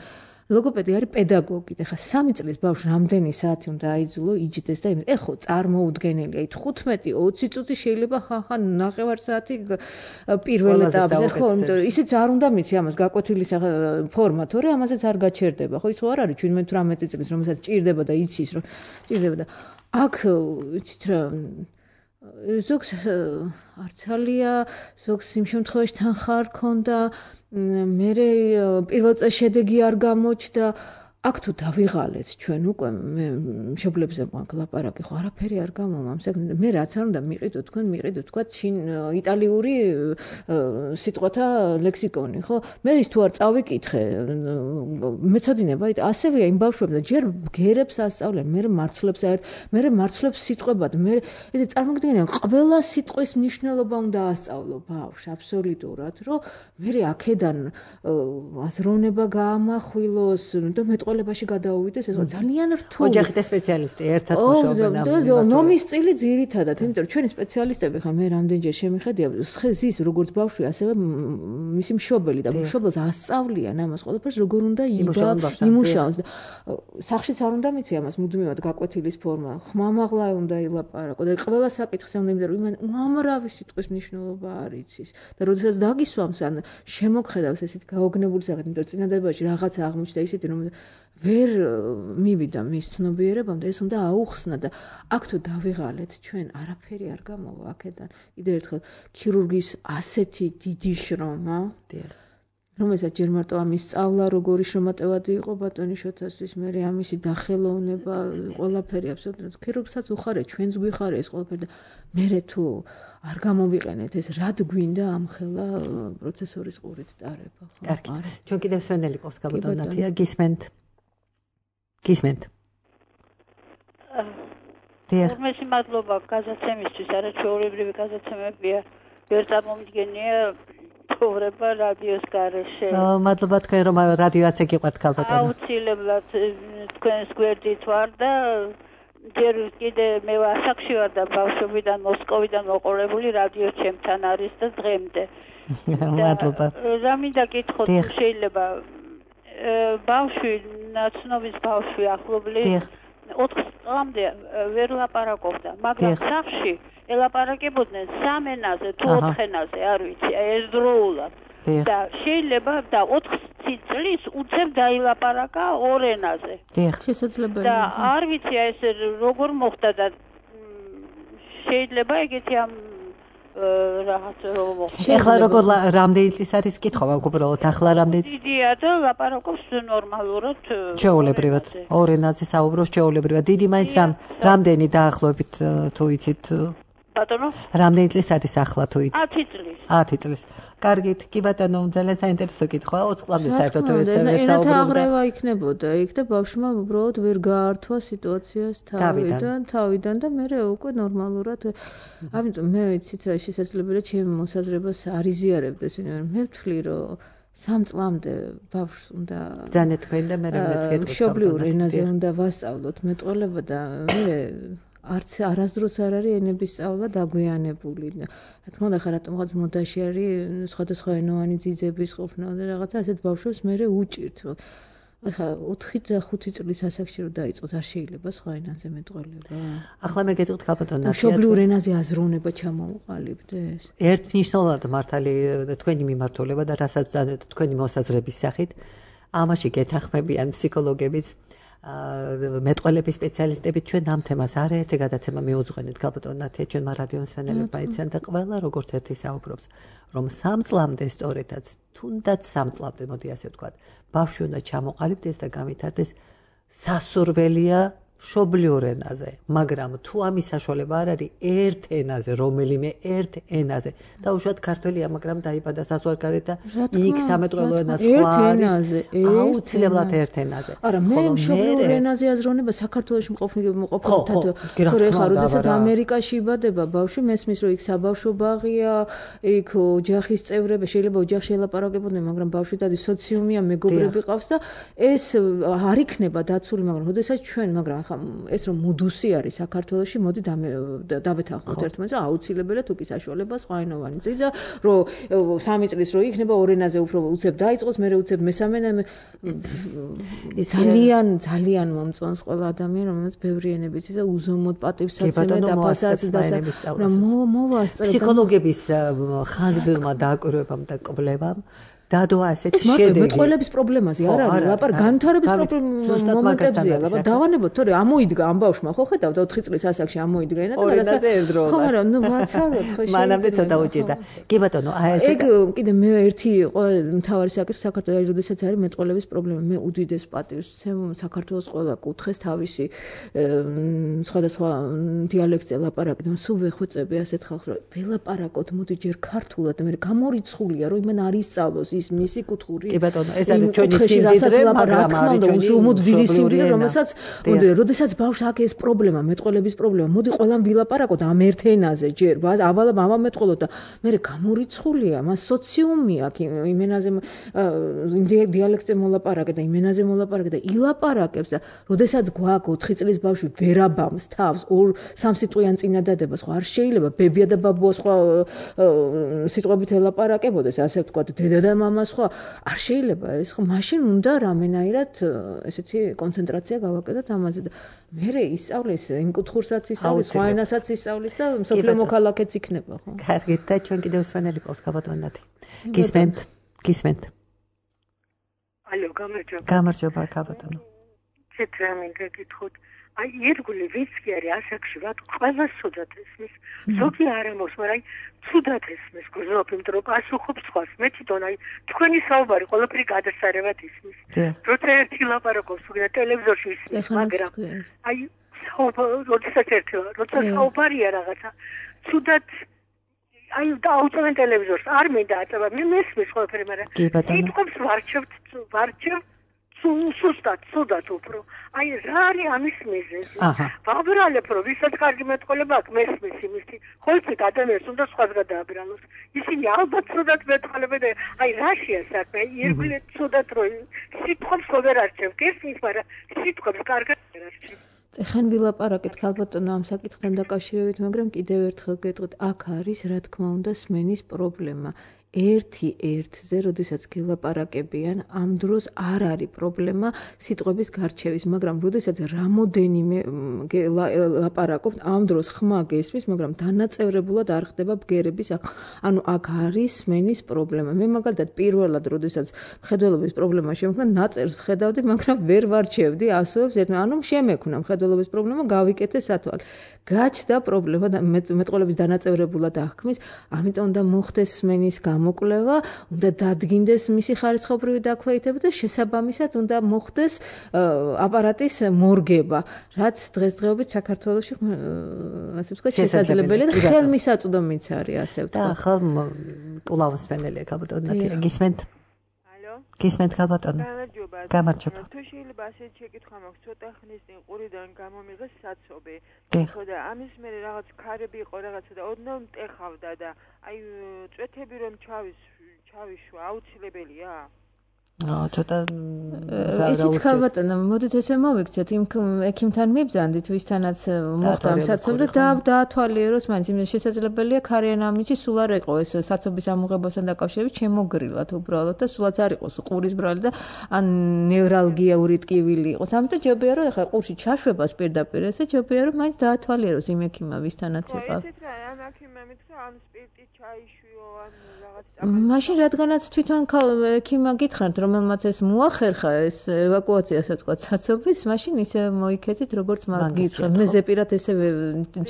ლოგოპედი არის პედაგოგი და ხა სამი წლის ბავშვს რამდენი საათი უნდა აიძულო იჯდეს და იმის ეხო წარმოუდგენელია ით ხუთმეტი ოცი წუთი შეიძლება ხახა ნახევარ საათი პირველ ეტაპზე ხო იმიტომ ისიც არ უნდა მიცი ამას გაკვეთილი ფორმა თორე ამაზეც არ გაჩერდება ხო ის არ არის შვიდმეტ-თვრამეტი წლის რომელსაც ჭირდება და იცის რომ ჭირდება და აქ იცით რა ზოგს არცალია ზოგს იმ შემთხვევაში თანხა არ ქონდა მე პირველ წელს შედეგი არ გამოჩნდა აქ თუ დავიღალეთ ჩვენ უკვე მე მშობლებზე მაქვს ლაპარაკი ხო არაფერი არ გამომამს მე რაც არ უნდა მიყიდო თქვენ მიყიდო თქვა შინ იტალიური სიტყვათა ლექსიკონი ხო მე ის თუ არ წავიკითხე მეცოდინება ასევეა იმ ბავშვებს ჯერ გერებს ასწავლენ მე მარცვლებს აერთ მე მარცვლებს სიტყვებად მე ესე წარმოგიდგენია ყველა სიტყვის მნიშვნელობა უნდა ასწავლო ბავშვს აბსოლუტურად რომ მე აქედან აზროვნება გაამახვილოს და მე ყოლებაში გადაუვიდეს ეს ძალიან რთული ოჯახი და სპეციალისტი ერთად მუშაობენ ამ ნომის წილი ძირითადად იმიტომ რომ ჩვენი სპეციალისტები ხა მე რამდენჯერ შემიხედია ზის როგორც ბავშვი ასევე მისი მშობელი და მშობელს ასწავლიან ამას ყველაფერს როგორ უნდა იმუშაოს და სახშიც არ უნდა მიცი ამას მუდმივად გაკვეთილის ფორმა ხმამაღლა უნდა ილაპარაკო და ყველა საკითხს უნდა იმიტომ რომ უამრავი სიტყვის მნიშვნელობა არ იცის და როდესაც დაგისვამს ან შემოგხედავს ესეთ გაოგნებული საკითხი იმიტომ რომ წინადებაში რაღაცა აღმოჩნდა ისეთი რომ ვერ მივიდა მის ცნობიერებამდე ეს უნდა აუხსნა და აქ თუ დავიღალეთ ჩვენ არაფერი არ გამოვა აქედან კიდევ ერთხელ ქირურგის ასეთი დიდი შრომა რომელსაც ჯერ მარტო ამის სწავლა როგორი შრომატევადი იყო ბატონი შოთასთვის მე ამისი დახელოვნება ყველაფერი აბსოლუტურად ქირურგსაც უხარეთ ჩვენს გვიხარეს ყველაფერი და მე თუ არ გამოვიყენეთ ეს რად გვინდა ამ ხელა პროცესორის ყურით ტარება ხო კარგი ჩვენ კიდევ სვენელი ყავს გაბატონათია გისმენთ გისმენთ უმეტესი მადლობა გაზაცემისთვის არაჩვეულებრივი გაზაცემებია ვერ წარმომიდგენია ცხოვრება რადიოს გარეშე მადლობა თქვენ რომ რადიოაც გიყვართ გაბატონო აუცილებლად თქვენს გვერდით ვარ და ჯერ კიდე მე ასაკში ვარ და ბავშვობიდან მოსკოვიდან მოყოლებული რადიო ჩემთან არის და დღემდე მადლობა რა მინდა გითხოთ შეიძლება ბავშვი ნაცნობის ბავშვი ახლობლის ოთხ წლამდე ვერ ლაპარაკობდა მაგრამ სახში ელაპარაკებოდნენ სამ ენაზე თუ ოთხ ენაზე არ ვიცი ერთდროულად და შეიძლება და ოთხ წლის უცებ დაილაპარაკა ორ ენაზე შესაძლებელია და არ ვიცი ეს როგორ მოხდა და შეიძლება ეგეთი ამ რაღაც ეხლა როგორ რამდენი წლის არის კითხვა უბრალოდ ახლა რამდენი დიდია და ლაპარაკობს ნორმალურად ჩვეულებრივად ორ ენაზე საუბრობს ჩვეულებრივად დიდი მაინც რამდენი დაახლოებით თუ იცით ბატონო. რამდენი წლის არის ახლა თუ იცი? ათი წლის. ათი წლის. კარგით, კი ბატონო, ძალიან საინტერესო კითხვაა. ოც წლამდე საერთოდ ეს საუბრობდა. აღრევა იქნებოდა იქ და ბავშვმა უბრალოდ ვერ გაართვა სიტუაციას თავიდან, თავიდან და მე უკვე ნორმალურად. ამიტომ მე ვიცით შესაძლებელია ჩემი მოსაზრებას არ იზიარებდეს, მე ვთვლი რომ სამ წლამდე ბავშვს უნდა ბრძანე თქვენ და მე მეც გეტყვით. მშობლიურ ენაზე უნდა ვასწავლოთ მეტყველება და მე არც არასდროს არ არის ენების სწავლა დაგვიანებული. რა თქმა უნდა, ხა რატომღაც მოდაში არის სხვადასხვა ენოვანი ძიძების ყოფნა და რაღაცა ასეთ ბავშვებს მე უჭირთ. ახლა ოთხი და ხუთი წლის ასაკში რომ დაიწყოს არ შეიძლება სხვა ენაზე მეტყველება. ახლა მე გეტყვით ქალბატონო, მშობლიურ ენაზე აზროვნება ჩამოუყალიბდეს. ერთნიშნულად მართალი თქვენი მიმართულება და რასაც ძანეთ თქვენი მოსაზრების სახით, ამაში გეთანხმებიან ფსიქოლოგებიც, მეტყველების სპეციალისტები. ჩვენ ამ თემას არაერთი გადაცემა მიუძღვენით ქალბატონო ნათია, ჩვენმა რადიო მსმენელებმა იციან და ყველა როგორც ერთი საუბრობს, რომ სამ წლამდე სწორედაც, თუნდაც სამ წლამდე, მოდი ასე ვთქვათ, ბავშვი უნდა ჩამოყალიბდეს და გამithარდეს სასურველია მშობლიურ ენაზე, მაგრამ თუ ამის საშუალება არ არის ერთ ენაზე, რომელიმე ერთ ენაზე, დაუშვათ ქართველია, მაგრამ დაიბადა საზღვარგარეთ და იქ სამეტყველო ენა სხვა არის, აუცილებლად ერთ ენაზე. არა, მე მშობლიურ ენაზე აზროვნება საქართველოში მყოფნი მყოფნითად, თორე ხა როდესაც ამერიკაში იბადება ბავშვი, მესმის რომ იქ საბავშვო ბაღია, იქ ოჯახის წევრები, შეიძლება ოჯახში ელაპარაკებოდნენ, მაგრამ ბავშვი დადის სოციუმია, მეგობრები ყავს და ეს არ იქნება დაცული, მაგრამ როდესაც ჩვენ, მაგრამ ეს რომ მუდუსი არის საქართველოში, მოდი დავეთანხმოთ ერთმანეთს, რომ აუცილებელია თუ კი საშუალება სხვაენოვანი ძიძა, რომ სამი წლის რო იქნება ორ ენაზე უფრო უცებ დაიწყოს, მე უცებ მესამე ძალიან ძალიან მომწონს ყველა ადამიანი, რომელსაც ბევრი ენებიც ისა უზომოდ პატივსაცემად დაფასած და მოვასწრებ ფსიქოლოგების ხანგრძლივმა დაკვირვებამ და კვლევამ დადო ასეთ შედეგი. მეტყველების პრობლემაზე არ არის, ლაპარ განვითარების მომენტებზეა, ლაპარ დავანებოთ, თორე ამოიდგა ამ ბავშვმა, ხო ხედავთ ოთხი წლის ასაკში ამოიდგა ენა და რაღაცა. ხო, მაგრამ ნუ ვაცალოთ ხო შეიძლება. მანამდე ცოტა უჭირდა. კი ბატონო, აი ესე. ეგ კიდე მე ერთი მთავარი საკითხი საქართველოს, როდესაც არის მეტყველების პრობლემა, მე უდიდეს პატივს ვცემ საქართველოს ყველა კუთხეს თავისი სხვადასხვა დიალექტზე ლაპარაკობენ, სულ ვეხვეწები ასეთ ხალხს, რომ ველაპარაკოთ, მოდი ჯერ ქართულად და მე გამორიცხულია, რომ იმან არ ისწავლოს ის მისი კუთხური. კი ბატონო, ეს არის ჩვენი სიმდიდრე, მაგრამ არის ჩვენი უმუდმივი სიმდიდრე, რომელსაც როდესაც ბავშვს აქ ეს პრობლემა, მეტყველების პრობლემა, მოდი ყველამ ვილაპარაკოთ ამ ერთ ენაზე ჯერ, ავალა მამა მეტყველოთ და მე გამორიცხულია, მას სოციუმი აქვს იმ ენაზე დიალექტზე მოლაპარაკე და იმ ენაზე მოლაპარაკე და ილაპარაკებს და როდესაც გვაქვს ოთხი წლის ბავშვი ვერაბამს თავს ორ სამ სიტყვიან წინადადებას, ხო არ შეიძლება ბებია და ბაბუა სხვა სიტყვებით ელაპარაკებოდეს, ასე ვთქვათ, დედა და მამა სხვა არ შეიძლება ეს ხო მაშინ უნდა რამენაირად ესეთი კონცენტრაცია გავაკეთოთ ამაზე და მე ისწავლის იმ კუთხურსაც ისწავლის სხვა ენასაც ისწავლის და მსოფლიო მოქალაქეც იქნება ხო კარგით და ჩვენ კიდევ სვენელი ყავს ქალბატონათი გისმენთ გისმენთ ალო გამარჯობა გამარჯობა ქალბატონო ცეტრა მინდა გითხოთ აი ერთგული ვიცი არის ასაკში რა ყველა სუდათ ესმის ზოგი არ ამოს მაგრამ სუდათ ესმის გზნობ იმიტომ რომ პასუხობს სხვას მე თვითონ აი თქვენი საუბარი ყველაფერი გადასარევად ისმის როცა ერთი ლაპარაკობს უკვე ტელევიზორში ისმის მაგრამ აი როცა ერთი როცა საუბარია რაღაცა სუდათ აი დაუწევენ ტელევიზორს არ მინდა აწევა მე მესმის ყველაფერი მაგრამ იტყვებს ვარჩევთ ვარჩევ სუსტად, სუდად უფრო. აი რა არის ამის მიზეზი? ვაბრალებ რომ ვისაც კარგი მეტყველება აქვს მესმის იმისი. ხო იცით ადამიანს უნდა სხვას გადააბრალოს. ისინი ალბათ სუდად მეტყველებენ და აი რაშია საქმე? ირგვლივ სუდად რომ სიტყვებს ვერ არჩევთ ისმის, მაგრამ სიტყვებს კარგად ვერ არჩევთ. ეხან ვილაპარაკეთ ქალბატონო ამ საკითხთან დაკავშირებით, მაგრამ კიდევ ერთხელ გეტყვით, აქ არის რა თქმა უნდა სმენის პრობლემა. ერთი ერთზე, როდესაც გელაპარაკებიან, ამ დროს არ არის პრობლემა სიტყვების გარჩევის, მაგრამ როდესაც რამოდენიმე ლაპარაკობთ, ამ დროს ხმა გესმის, მაგრამ დანაწევრებულად არ ხდება ბგერების, ანუ აქ არის სმენის პრობლემა. მე მაგალითად პირველად, როდესაც მხედველობის პრობლემა შემოქმნა, ნაწერს ვხედავდი, მაგრამ ვერ ვარჩევდი ასოებს ერთმა, ანუ შემექმნა მხედველობის პრობლემა, გავიკეთე სათვალე. გაჩნდა პრობლემა და მეტყველების დანაწევრებულად აღქმის, ამიტომ უნდა მოხდეს სმენის გამოკვლევა, უნდა დადგინდეს მისი ხარისხობრივი დაქვეითება და შესაბამისად უნდა მოხდეს აპარატის მორგება, რაც დღესდღეობით საქართველოში ასე ვთქვათ შესაძლებელია და ხელმისაწვდომიც არის ასე ვთქვათ. და ახლა კულავის ფენელია ალბათ ნათია გისმენთ. გისმენთ ალბათო. გამარჯობა. თუ შეიძლება ასეთ შეკითხვა მაქვს, ცოტა ხნის წინ ყურიდან გამომიღეს საცობი. ხო და ამის მერე რაღაც ქარები იყო რაღაცა და ოდნავ მტეხავდა და აი წვეთები რომ ჩავის ჩავიშვა აუცილებელია? აა ცოტა იცით ხალბატონო, მოდით ესე მოვიქცეთ იმ ექიმთან მიბრძანდით, ვისთანაც მოხდა საცობი და დაათვალიეროს მაინც იმ შესაძლებელია ქარიან ამინჩი სულ არ იყო ეს საცობის ამოღებასთან დაკავშირებით შემოგრილად უბრალოდ და სულაც არ იყოს ყურის ბრალი და ან ნევრალგიული ტკივილი იყოს. ამიტომ ჯობია რომ ახლა ყურში ჩაშვებას პირდაპირ ესე ჯობია რომ მაინც დაათვალიეროს იმ ექიმა ვისთანაც იყო. ესეთ რა ამ ექიმმა მითხრა ამ სპირტი ჩაიშვიო ან რაღაც მაშინ რადგანაც თვითონ ექიმა გითხრათ რომელმაც ეს მოახერხა ეს ევაკუაცია ასე ვთქვათ საცობის, მაშინ ისე მოიქეცით როგორც მაგითხრა. მე ზეპირად ესე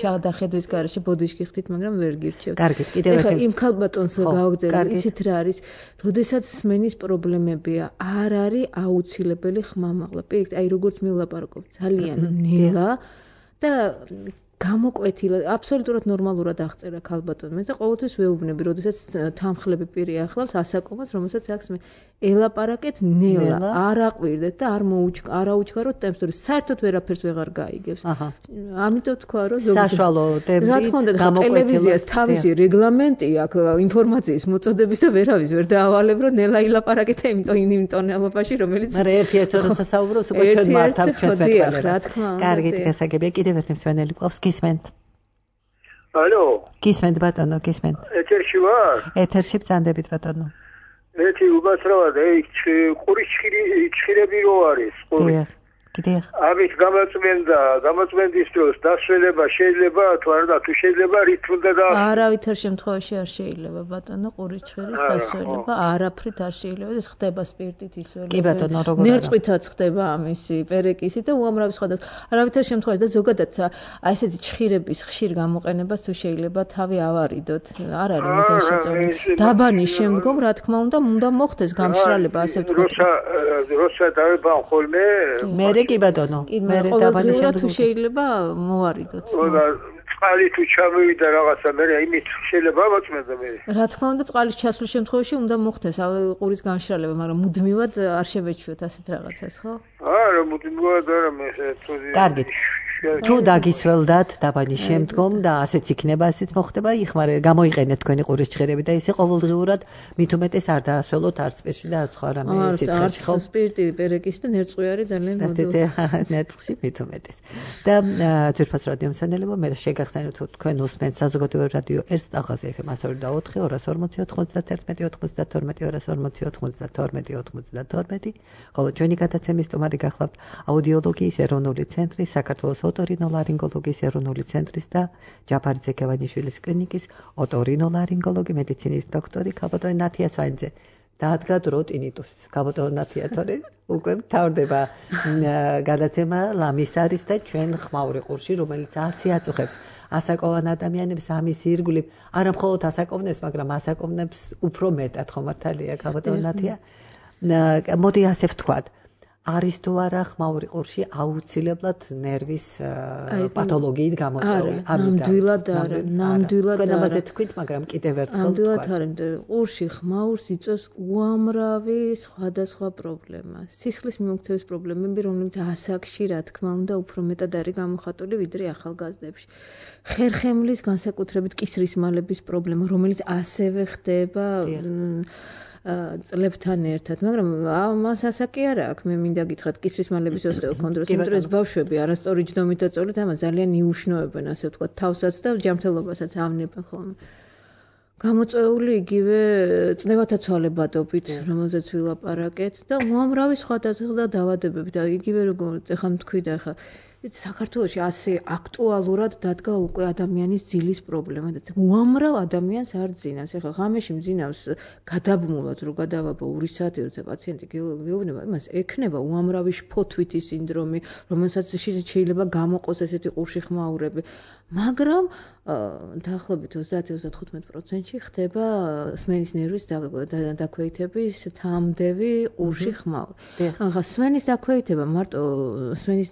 ჩადახედვის garaში ბოდიშკი ხთით, მაგრამ ვერ გირჩევთ. კარგით, კიდევ ერთხელ იმ ქალბატონს გავაგზავნე, იცით რა არის? როდესაც სმენის პრობლემებია, არ არის აუცილებელი ხმამაღლა. პირიქით, აი როგორც მივლაპარაკობ, ძალიან ნელა და გამოკვეთილა, აბსოლუტურად ნორმალურად აღწერა ქალბატონმა და ყოველთვის ვეუბნები, როდესაც თანხლები პირი ახლავს ასაკობას, რომელსაც აქვს მე ელაპარაკეთ ნელა, არ აყვირდეთ და არ მოუჩ არ აუჩქაროთ ტემპს, თორე საერთოდ ვერაფერს ვეღარ გაიგებს. ამიტომ თქვა რომ საშუალო ტემპით გამოკვეთილა ტელევიზიას თავისი რეგლამენტი აქვს ინფორმაციის მოწოდების და ვერავის ვერ დაავალებ რომ ნელა ილაპარაკეთ იმიტომ იმ ტონალობაში რომელიც მაგრამ ერთ-ერთ როცა საუბრობს უკვე ჩვენ მართავთ ჩვენს მეტყველებას. კარგით, გასაგებია კიდევ ერთი მსვენელი ყავს გისმენთ. ალო. გისმენთ ბატონო, გისმენთ. ეთერში ვარ? ეთერში ბრძანდებით ბატონო. ეთი უბასრავად, ეი, ყურის ჩხირები რო არის, ყური. კიდე. ამით გამოწმენდა, გამოწმენდის დროს დასვენება შეიძლება თუ არა თუ შეიძლება რითმდა და არავითარ შემთხვევაში არ შეიძლება ბატონო ყურის ჩხირის დასვენება, არაფრით არ შეიძლება. ეს ხდება სპირტით ისველება. კი ბატონო, როგორ არა. ნერწყვითაც ხდება ამისი პერეკისი და უამრავი სხვადასხვა. არავითარ შემთხვევაში და ზოგადად აი ესეთი ჩხირების ხშირ გამოყენებას თუ შეიძლება თავი ავარიდოთ. არ არის მიზანშეწონი. დაბანის შემდგომ რა თქმა უნდა, უნდა მოხდეს გამშრალება, ასე ვთქვათ. როცა როცა დავებან ხოლმე მე კი ბატონო, მე დაბანის შემდგომ თუ შეიძლება მოვარიდოთ. წყალი თუ ჩამოვიდა რაღაცა, მე იმით შეიძლება მოწმენდა მე. რა თქმა უნდა, წყალის ჩასვლის შემთხვევაში უნდა მოხდეს ყურის გამშრალება, მაგრამ მუდმივად არ შევეჩვიოთ ასეთ რაღაცას, ხო? არა, მუდმივად არა მე თუ კარგით. თუ დაგისველდათ დაბანის შემდგომ და ასეც იქნება, ასეც მოხდება, იხმარე, გამოიყენეთ თქვენი ყურის ჩხერები და ისე ყოველდღიურად მით უმეტეს არ დაასველოთ არც სპირტში და არც სხვა რამე სიცხეში, ხო? სპირტი, პერეკისი და ნერწყვი არის ძალიან მოდო. ნერწყვი მით უმეტეს. და ძვირფას რადიო მსმენელებო, მე შეგახსენებთ თუ თქვენ უსმენთ საზოგადოებრივ რადიო ერთ სტაღაზე ეფ ემ ასორი და ოთხი, ორას ორმოცი, ოცდაათი, ოცდათორმეტი, ორას ორმოცი, ოცდათორმეტი, ოცდათორმეტი, ხოლო ჩვენი გადაცემის სტუმარი გახლავთ აუდიოლოგიის ეროვნული ცენტრის საქართველოს ოტორინოლარინგოლოგიის ეროვნული ცენტრის და ჯაფარიძე ქევანიშვილის კლინიკის ოტორინოლარინგოლოგი მედიცინის დოქტორი ქალბატონი ნათია სვანიძე. დაადგა დრო ტინიტუსის. ქალბატონი ნათია თორე უკვე თავდება გადაცემა ლამის არის და ჩვენ ხმაური ყურში, რომელიც ასე აწუხებს ასაკოვან ადამიანებს ამის ირგვლივ, არა მხოლოდ ასაკოვნებს, მაგრამ ასაკოვნებს უფრო მეტად ხო მართალია ქალბატონი ნათია. მოდი ასე ვთქვათ. არის თუ არა ხმაური ყურში აუცილებლად ნერვის პათოლოგიით გამოწვეული? ნამდვილად არა, ნამდვილად არა. თქვენ ამაზე თქვით, მაგრამ კიდევ ერთხელ ვთქვათ. ნამდვილად არა, ყურში ხმაურს იწვევს უამრავი სხვადასხვა პრობლემა. სისხლის მიმოქცევის პრობლემები, რომლებიც ასაკში, რა თქმა უნდა, უფრო მეტად არის გამოხატული ვიდრე ახალგაზრდებში. ხერხემლის განსაკუთრებით კისრის მალების პრობლემა, რომელიც ასევე ხდება წლებთან ერთად, მაგრამ მას ასაკი არა აქვს. მე მინდა გითხრათ კისრის მალების ოსტეოქონდროზი, იმიტომ რომ ეს ბავშვები არასწორი ჯდომით და წოლით ამას ძალიან იუშნობენ, ასე ვთქვათ, თავსაც და ჯანმრთელობასაც ავნებენ ხოლმე. გამოწვეული იგივე წნევათა ცვალებადობით, რომელზეც ვილაპარაკეთ და უამრავი სხვადასხვა დაავადებები და იგივე როგორც ეხლა თქვი და ეხლა საქართველოში ასე აქტუალურად დადგა უკვე ადამიანის ძილის პრობლემა და უამრავ ადამიანს არ ძინავს. ეხლა ღამეში მძინავს გადაბმულად რო გადავაბო ორი საათი, როცა პაციენტი გეუბნება, იმას ექნება უამრავი შფოთვითი სინდრომი, რომელსაც შეიძლება გამოყოს ესეთი ყურში ხმაურები. მაგრამ დაახლოებით ოცდაათი ოცდათხუთმეტ პროცენტში ხდება სმენის ნერვის დაქვეითების თამდევი ყურში ხმაური. ახლა სმენის დაქვეითება მარტო სმენის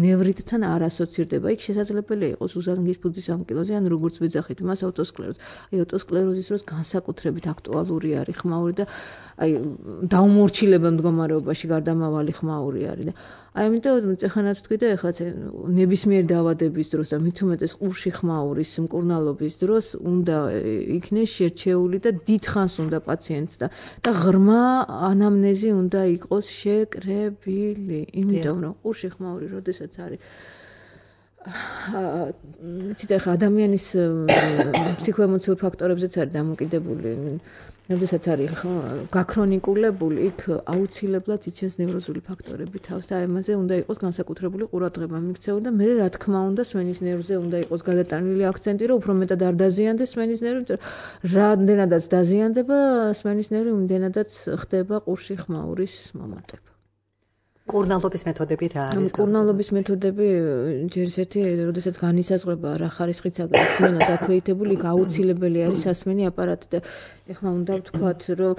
ნევრიტთან არ ასოცირდება. იქ შესაძლებელია იყოს უზანგის ფუძის ანკილოზი, ან როგორც ვეძახით, მას ავტოსკლეროზი. აი ავტოსკლეროზის დროს განსაკუთრებით აქტუალური არის ხმაური და აი დაუმორჩილებელი მდგომარეობაში გარდამავალი ხმაური არის და აი ამიტომ წეხანაც თქვი და ეხლა ნებისმიერ დაავადების დროს და მით უმეტეს ყურში ხმაურის მკურნალობის დროს უნდა იქნეს შერჩეული და დიდხანს უნდა პაციენტს და და ღრმა ანამნეზი უნდა იყოს შეკრებილი. იმიტომ რომ ყურში ხმაური როდესაც არის ციტა ხა ადამიანის ფსიქოემოციურ ფაქტორებზეც არის დამოკიდებული. როდესაც არის გაქრონიკულებული, იქ აუცილებლად იჩენს ნევროზული ფაქტორები თავს და ამაზე უნდა იყოს განსაკუთრებული ყურადღება მიქცევა და მე რა თქმა უნდა სმენის ნერვზე უნდა იყოს გადატანილი აქცენტი, რომ უფრო მეტად არ დაზიანდეს სმენის ნერვი, რამდენადაც დაზიანდება სმენის ნერვი, იმდენადაც ხდება ყურში ხმაურის მომატება. მკურნალობის მეთოდები რა არის? მკურნალობის მეთოდები ჯერ ერთი, როდესაც განისაზღვრება რა ხარისხიცაა სმენა დაქვეითებული, იქ აუცილებელი არის სასმენი აპარატი და ეხლა უნდა ვთქვათ, რომ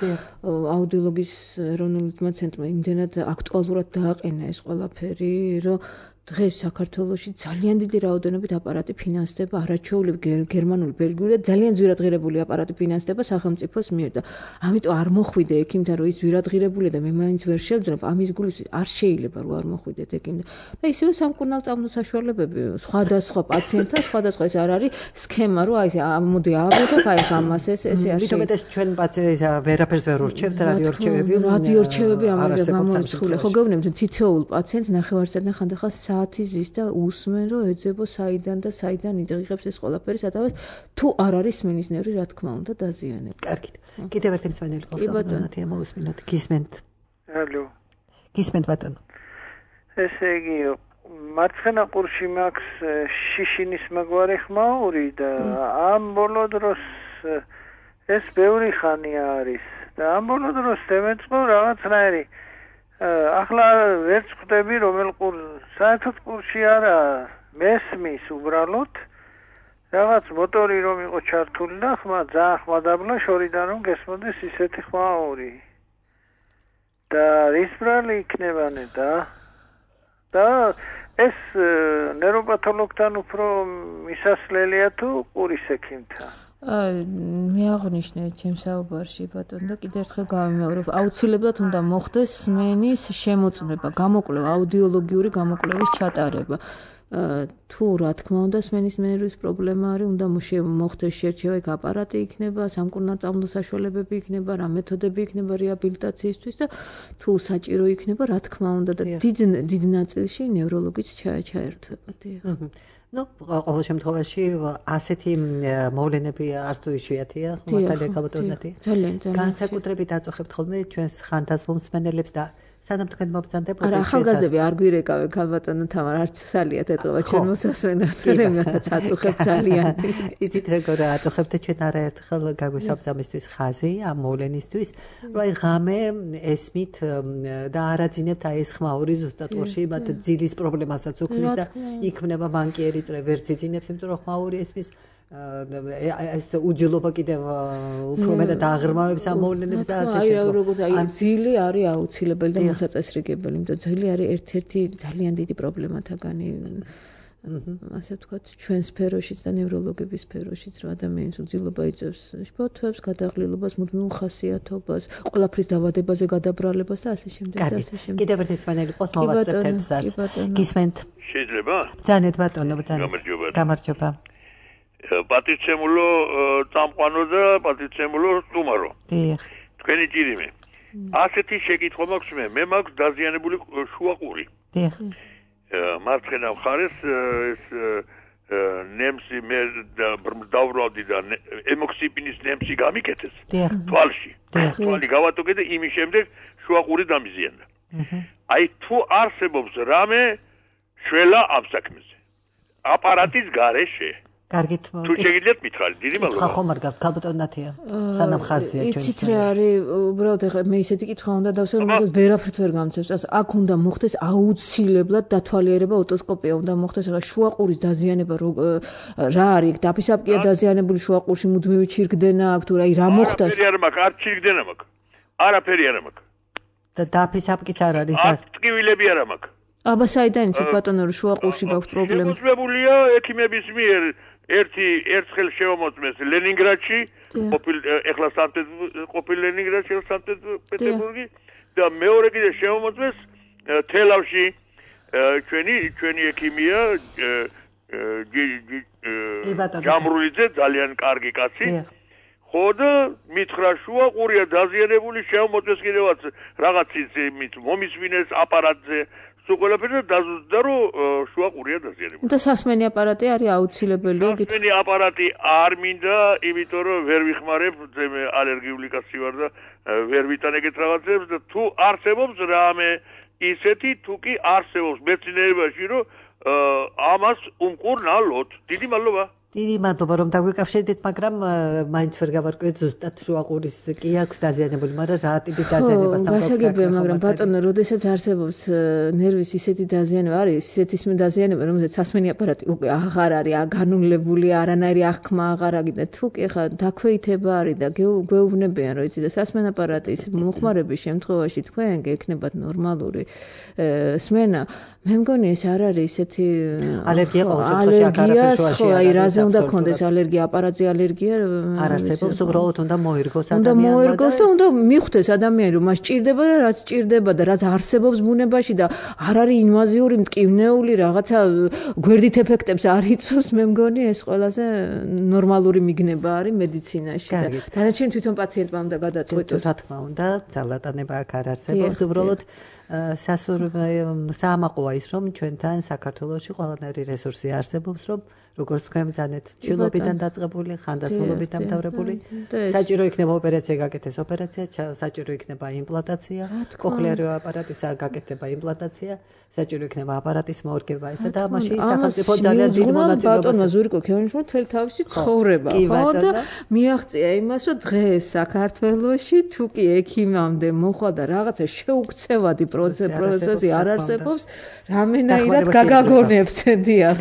აუდიოლოგიის ეროვნული ცენტრმა იმდენად აქტუალურად დააყენა ეს ყველაფერი, რომ დღეს საქართველოში ძალიან დიდი რაოდენობით აპარატი ფინანსდება, არაჩვეულები გერმანული, ბელგიური და ძალიან ძვირადღირებული აპარატი ფინანსდება სახელმწიფოს მიერ და ამიტომ არ მოხვიდე ექიმთან, რომ ის ძვირადღირებულია და მე მაინც ვერ შევძლებთ, ამის გულისთვის არ შეიძლება რომ არ მოხვიდეთ ექიმთან. და ისევე სამკურნალო წამნო საშუალებები სხვადასხვა პაციენტთან, სხვადასხვა ეს არ არის სქემა, რომ აი მოდი აღვიღებ, აი ამას ეს ესე არის. მით უმეტეს ჩვენ პაციენტს ვერაფერს ვერ ურჩევთ, რადიორჩევები. რადიორჩევები ამაზე გამოიწვია. ხო გეუბნებით, თითოეულ პაციენტს ნახევარსაათიდან ხანდახან საათი ზის და უსმენ რომ ეძებო საიდან და საიდან იდღიღებს ეს ყველაფერი სადავას თუ არ არის სმენის ნერვი რა თქმა უნდა დაზიანებული. კარგით. კიდევ ერთი მსმენელი ყავს ბატონათია მოусმინოთ. გისმენთ. ალო. გისმენთ ბატონო. ესე იგი მარცხენა ყურში მაქვს შიშინის მაგვარი ხმაური და ამ ბოლო დროს ეს ბევრი ხანია არის და ამ ბოლო დროს თემეწყო რაღაცნაირი ახლა ვერც ხვდები რომელ ყურ საერთოდ ყურში არა მესმის უბრალოდ რაღაც მოტორი რომ იყო ჩართული და ხმა ძალიან ხმადაბლა შორიდან რომ გესმოდეს ისეთი ხმაური და რის ბრალი იქნებანე და და ეს ნეიროპათოლოგთან უფრო მისასვლელია თუ ყურის ექიმთან მე აღნიშნე ჩემს საუბარში ბატონო და კიდევ ერთხელ გავიმეორებ აუცილებლად უნდა მოხდეს სმენის შემოწმება გამოკვლევა აუდიოლოგიური გამოკვლევის ჩატარება თუ რა თქმა უნდა სმენის ნერვის პრობლემა არის უნდა მოხდეს შერჩევა იქ აპარატი იქნება სამკურნალო წამლო საშუალებები იქნება რა მეთოდები იქნება რეაბილიტაციისთვის და თუ საჭირო იქნება რა თქმა უნდა და დიდ დიდ ნაწილში ნევროლოგიც ჩაერთვება დიახ ну, ყოველ შემთხვევაში ასეთი მოვლენები არც თუ იშვიათია, ხმათალია გაბატონათია. ძალიან, ძალიან. განსაკუთრებით აწუხებთ ხოლმე ჩვენს ხანდაზმულ მსმენელებს და სანამ თქვენ მოგზანდებოდეთ. არა, ახალგაზრდები არ გვირეკავენ გაბატონო თამარ, არც სალიათ ეტყობა ჩვენ მოსასვენად, რემათაც აწუხებთ ძალიან. იცით როგორ აწუხებთ ჩვენ არაერთხელ გაგვისვამს ამისთვის ხაზი, ამ მოვლენისთვის, რომ აი ღამე ესმით და არაძინებთ აი ეს ხმაური ზუსტად ყურში, მათ ძილის პრობლემასაც უქმნის და იქმნება ბანკიერი წრე ვერც იძინებს, იმიტომ რომ ხმაური ესმის ეს უჯილობა კიდევ უფრო მეტად აღრმავებს ამ მოვლენებს და ასე შემდგომ. აი როგორც აი ძილი არის აუცილებელი და მოსაწესრიგებელი, იმიტომ ძილი არის ერთ-ერთი ძალიან დიდი პრობლემათაგანი. ასე ვთქვათ, ჩვენ სფეროშიც და ნევროლოგების სფეროშიც, რომ ადამიანის უძილობა იწევს შფოთვებს, გადაღლილობას, მუდმივ ხასიათობას, ყველაფრის დაავადებაზე გადაბრალებას და ასე შემდეგ და ასე შემდეგ. კიდევ ერთი მსმენელი ყავს მოვასწრებთ ერთ ზარს. გისმენთ? შეიძლება? ბრძანეთ ბატონო, ბრძანეთ. გამარჯობა. პატიცემულო წამყვანო და პატიცემულო სტუმარო. დიახ. თქვენი ჭირიმე. ასეთი შეკითხვა მაქვს მე, მე მაქვს დაზიანებული შუაყური. დიახ. მარცხენა მხარეს ეს ნემსი მე დავბრალდი და ემოქსიპინის ნემსი გამიკეთეს თვალში. თვალი გავატოკე და იმის შემდეგ შუაყური დამიზიანდა. აი თუ არსებობს რამე შველა ამ საქმეზე. აპარატის გარეშე კარგით. თუ შეგიძლიათ მითხრალი, დიდი მადლობა. ხა ხომ არ გაქვთ ქალბატონ ნათია? სანამ ხაზია ჩვენ. იცით რა არის, უბრალოდ ეხლა მე ისეთი კითხვა უნდა დავსვენ, რომ ვერაფრით ვერ გამცემს. ას აქ უნდა მოხდეს აუცილებლად დათვალიერება, ოტოსკოპია უნდა მოხდეს. ეხლა შუაყურის დაზიანება რა არის? დაფისაბკია დაზიანებული შუაყურში მუდმივი ჩირგდენა აქვს თუ რა, რა მოხდა? არაფერი არ მაქვს, არ ჩირგდენა მაქვს. არაფერი არ მაქვს. და დაფისაბკიც არ არის და ტკივილები არ მაქვს. აბა საიდან იცით ბატონო რომ შუაყურში გაქვს პრობლემა? შემოწმებულია ექიმების მიერ ერთი ერთხელ შემოწმეს ლენინგრადში, ყოფილ ეხლა სანქტ ყოფილ ლენინგრადში, სანქტ-პეტერბურგი და მეორე კიდე შემოწმეს თელავში ჩვენი ჩვენი ექიმია ჯამრულიძე ძალიან კარგი კაცი. ხოდა მითხრა შუაყურია დაზიანებული, შემოწმეს კიდევაც რაღაც ის მომისმინეს აპარატზე. სულ დაზუსტდა რომ შუაყურია დაზიანებული. და სასმენი აპარატი არის აუცილებელი? სასმენი აპარატი არ მინდა, იმიტომ რომ ვერ ვიხმარებ, მე ალერგიული კაცი ვარ და ვერ ვიტან ეგეთ რაღაცებს და თუ არსებობს რამე ისეთი, თუ კი არსებობს მეცნიერებაში, რომ ამას უმკურნალოთ. დიდი მადლობა. დიდი მადლობა რომ დაგვიკავშირდით, მაგრამ მაინც ვერ გავარკვიეთ ზუსტად შუაყურის კი აქვს დაზიანებული, მაგრამ რა ტიპის დაზიანებასთან გვაქვს საქმე. გასაგებია, მაგრამ ბატონო, როდესაც არსებობს ნერვის ისეთი დაზიანება, არის ისეთი დაზიანება, რომელზეც სასმენი აპარატი უკვე აღარ არის განულებული, არანაირი აღქმა აღარ აგინდა. თუ კი ხა დაქვეითება არის და გვეუბნებიან, რომ იცი და სასმენ აპარატის მოხმარების შემთხვევაში თქვენ გექნებათ ნორმალური სმენა. მე მგონი ეს არ არის ისეთი ალერგია ყოველ შემთხვევაში აქ არაფერ შუაში არ არის. უნდა კონდეს ალერგია, აპარატზე ალერგია არ არსებობს, უბრალოდ უნდა მოირგოს ადამიანმა. უნდა მოირგოს და უნდა მიხვდეს ადამიანი, რომ მას ჭირდება და რაც ჭირდება და რაც არსებობს ბუნებაში და არ არის ინვაზიური, მტკივნეული რაღაცა გვერდით ეფექტებს არ იწვევს, მე მგონი ეს ყველაზე ნორმალური მიგნება არის მედიცინაში და დანარჩენი თვითონ პაციენტმა უნდა გადაწყვიტოს. რა თქმა უნდა, ძალატანება აქ არ არსებობს, უბრალოდ საამაყოა ის, რომ ჩვენთან საქართველოში ყველანაირი რესურსი არსებობს, რომ როგორც თქვენ ბრძანეთ, ჩილობიდან დაწყებული, ხანდასმულობით დამთავრებული, საჭირო იქნება ოპერაცია, გაკეთეს ოპერაცია, საჭირო იქნება იმპლანტაცია, კოხლიარო აპარატისა გაკეთება იმპლანტაცია, საჭირო იქნება აპარატის მორგება, ესა და მაშინ სახელმწიფო ძალიან დიდ მონაწილეობას ბატონმა ზურიკო ქევენიშვილმა თელი თავისი ცხოვრება, ხო და მიაღწია იმას, რომ დღეს საქართველოში თუ კი ექიმამდე მოხდა და რაღაცა შეუქცევადი პროცესი არ არსებობს, რამენაირად გაგაგონებთ, დიახ,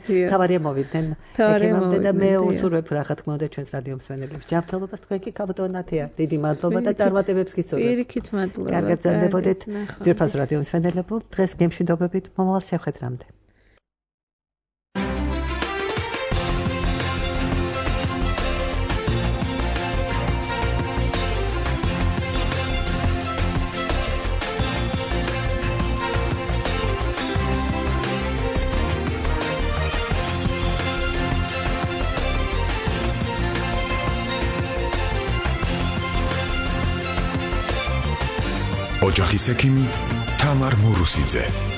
დიახ. თავარია მოვიდნენ ექიმამდე და მე უსურვებ რა თქმა უნდა ჩვენს რადიო მსმენელებს ჯანმრთელობას, თქვენ კი ქალბატონ ნათია, დიდი მადლობა და წარმატებებს გისურვებთ. პირიქით მადლობა. კარგად გრძელდებოდეთ ძვირფასო რადიო მსმენელებო, დღეს გემშვიდობებით, მომავალ შეხვედრამდე. ოჯახის ექიმი თამარ მურუსიძე.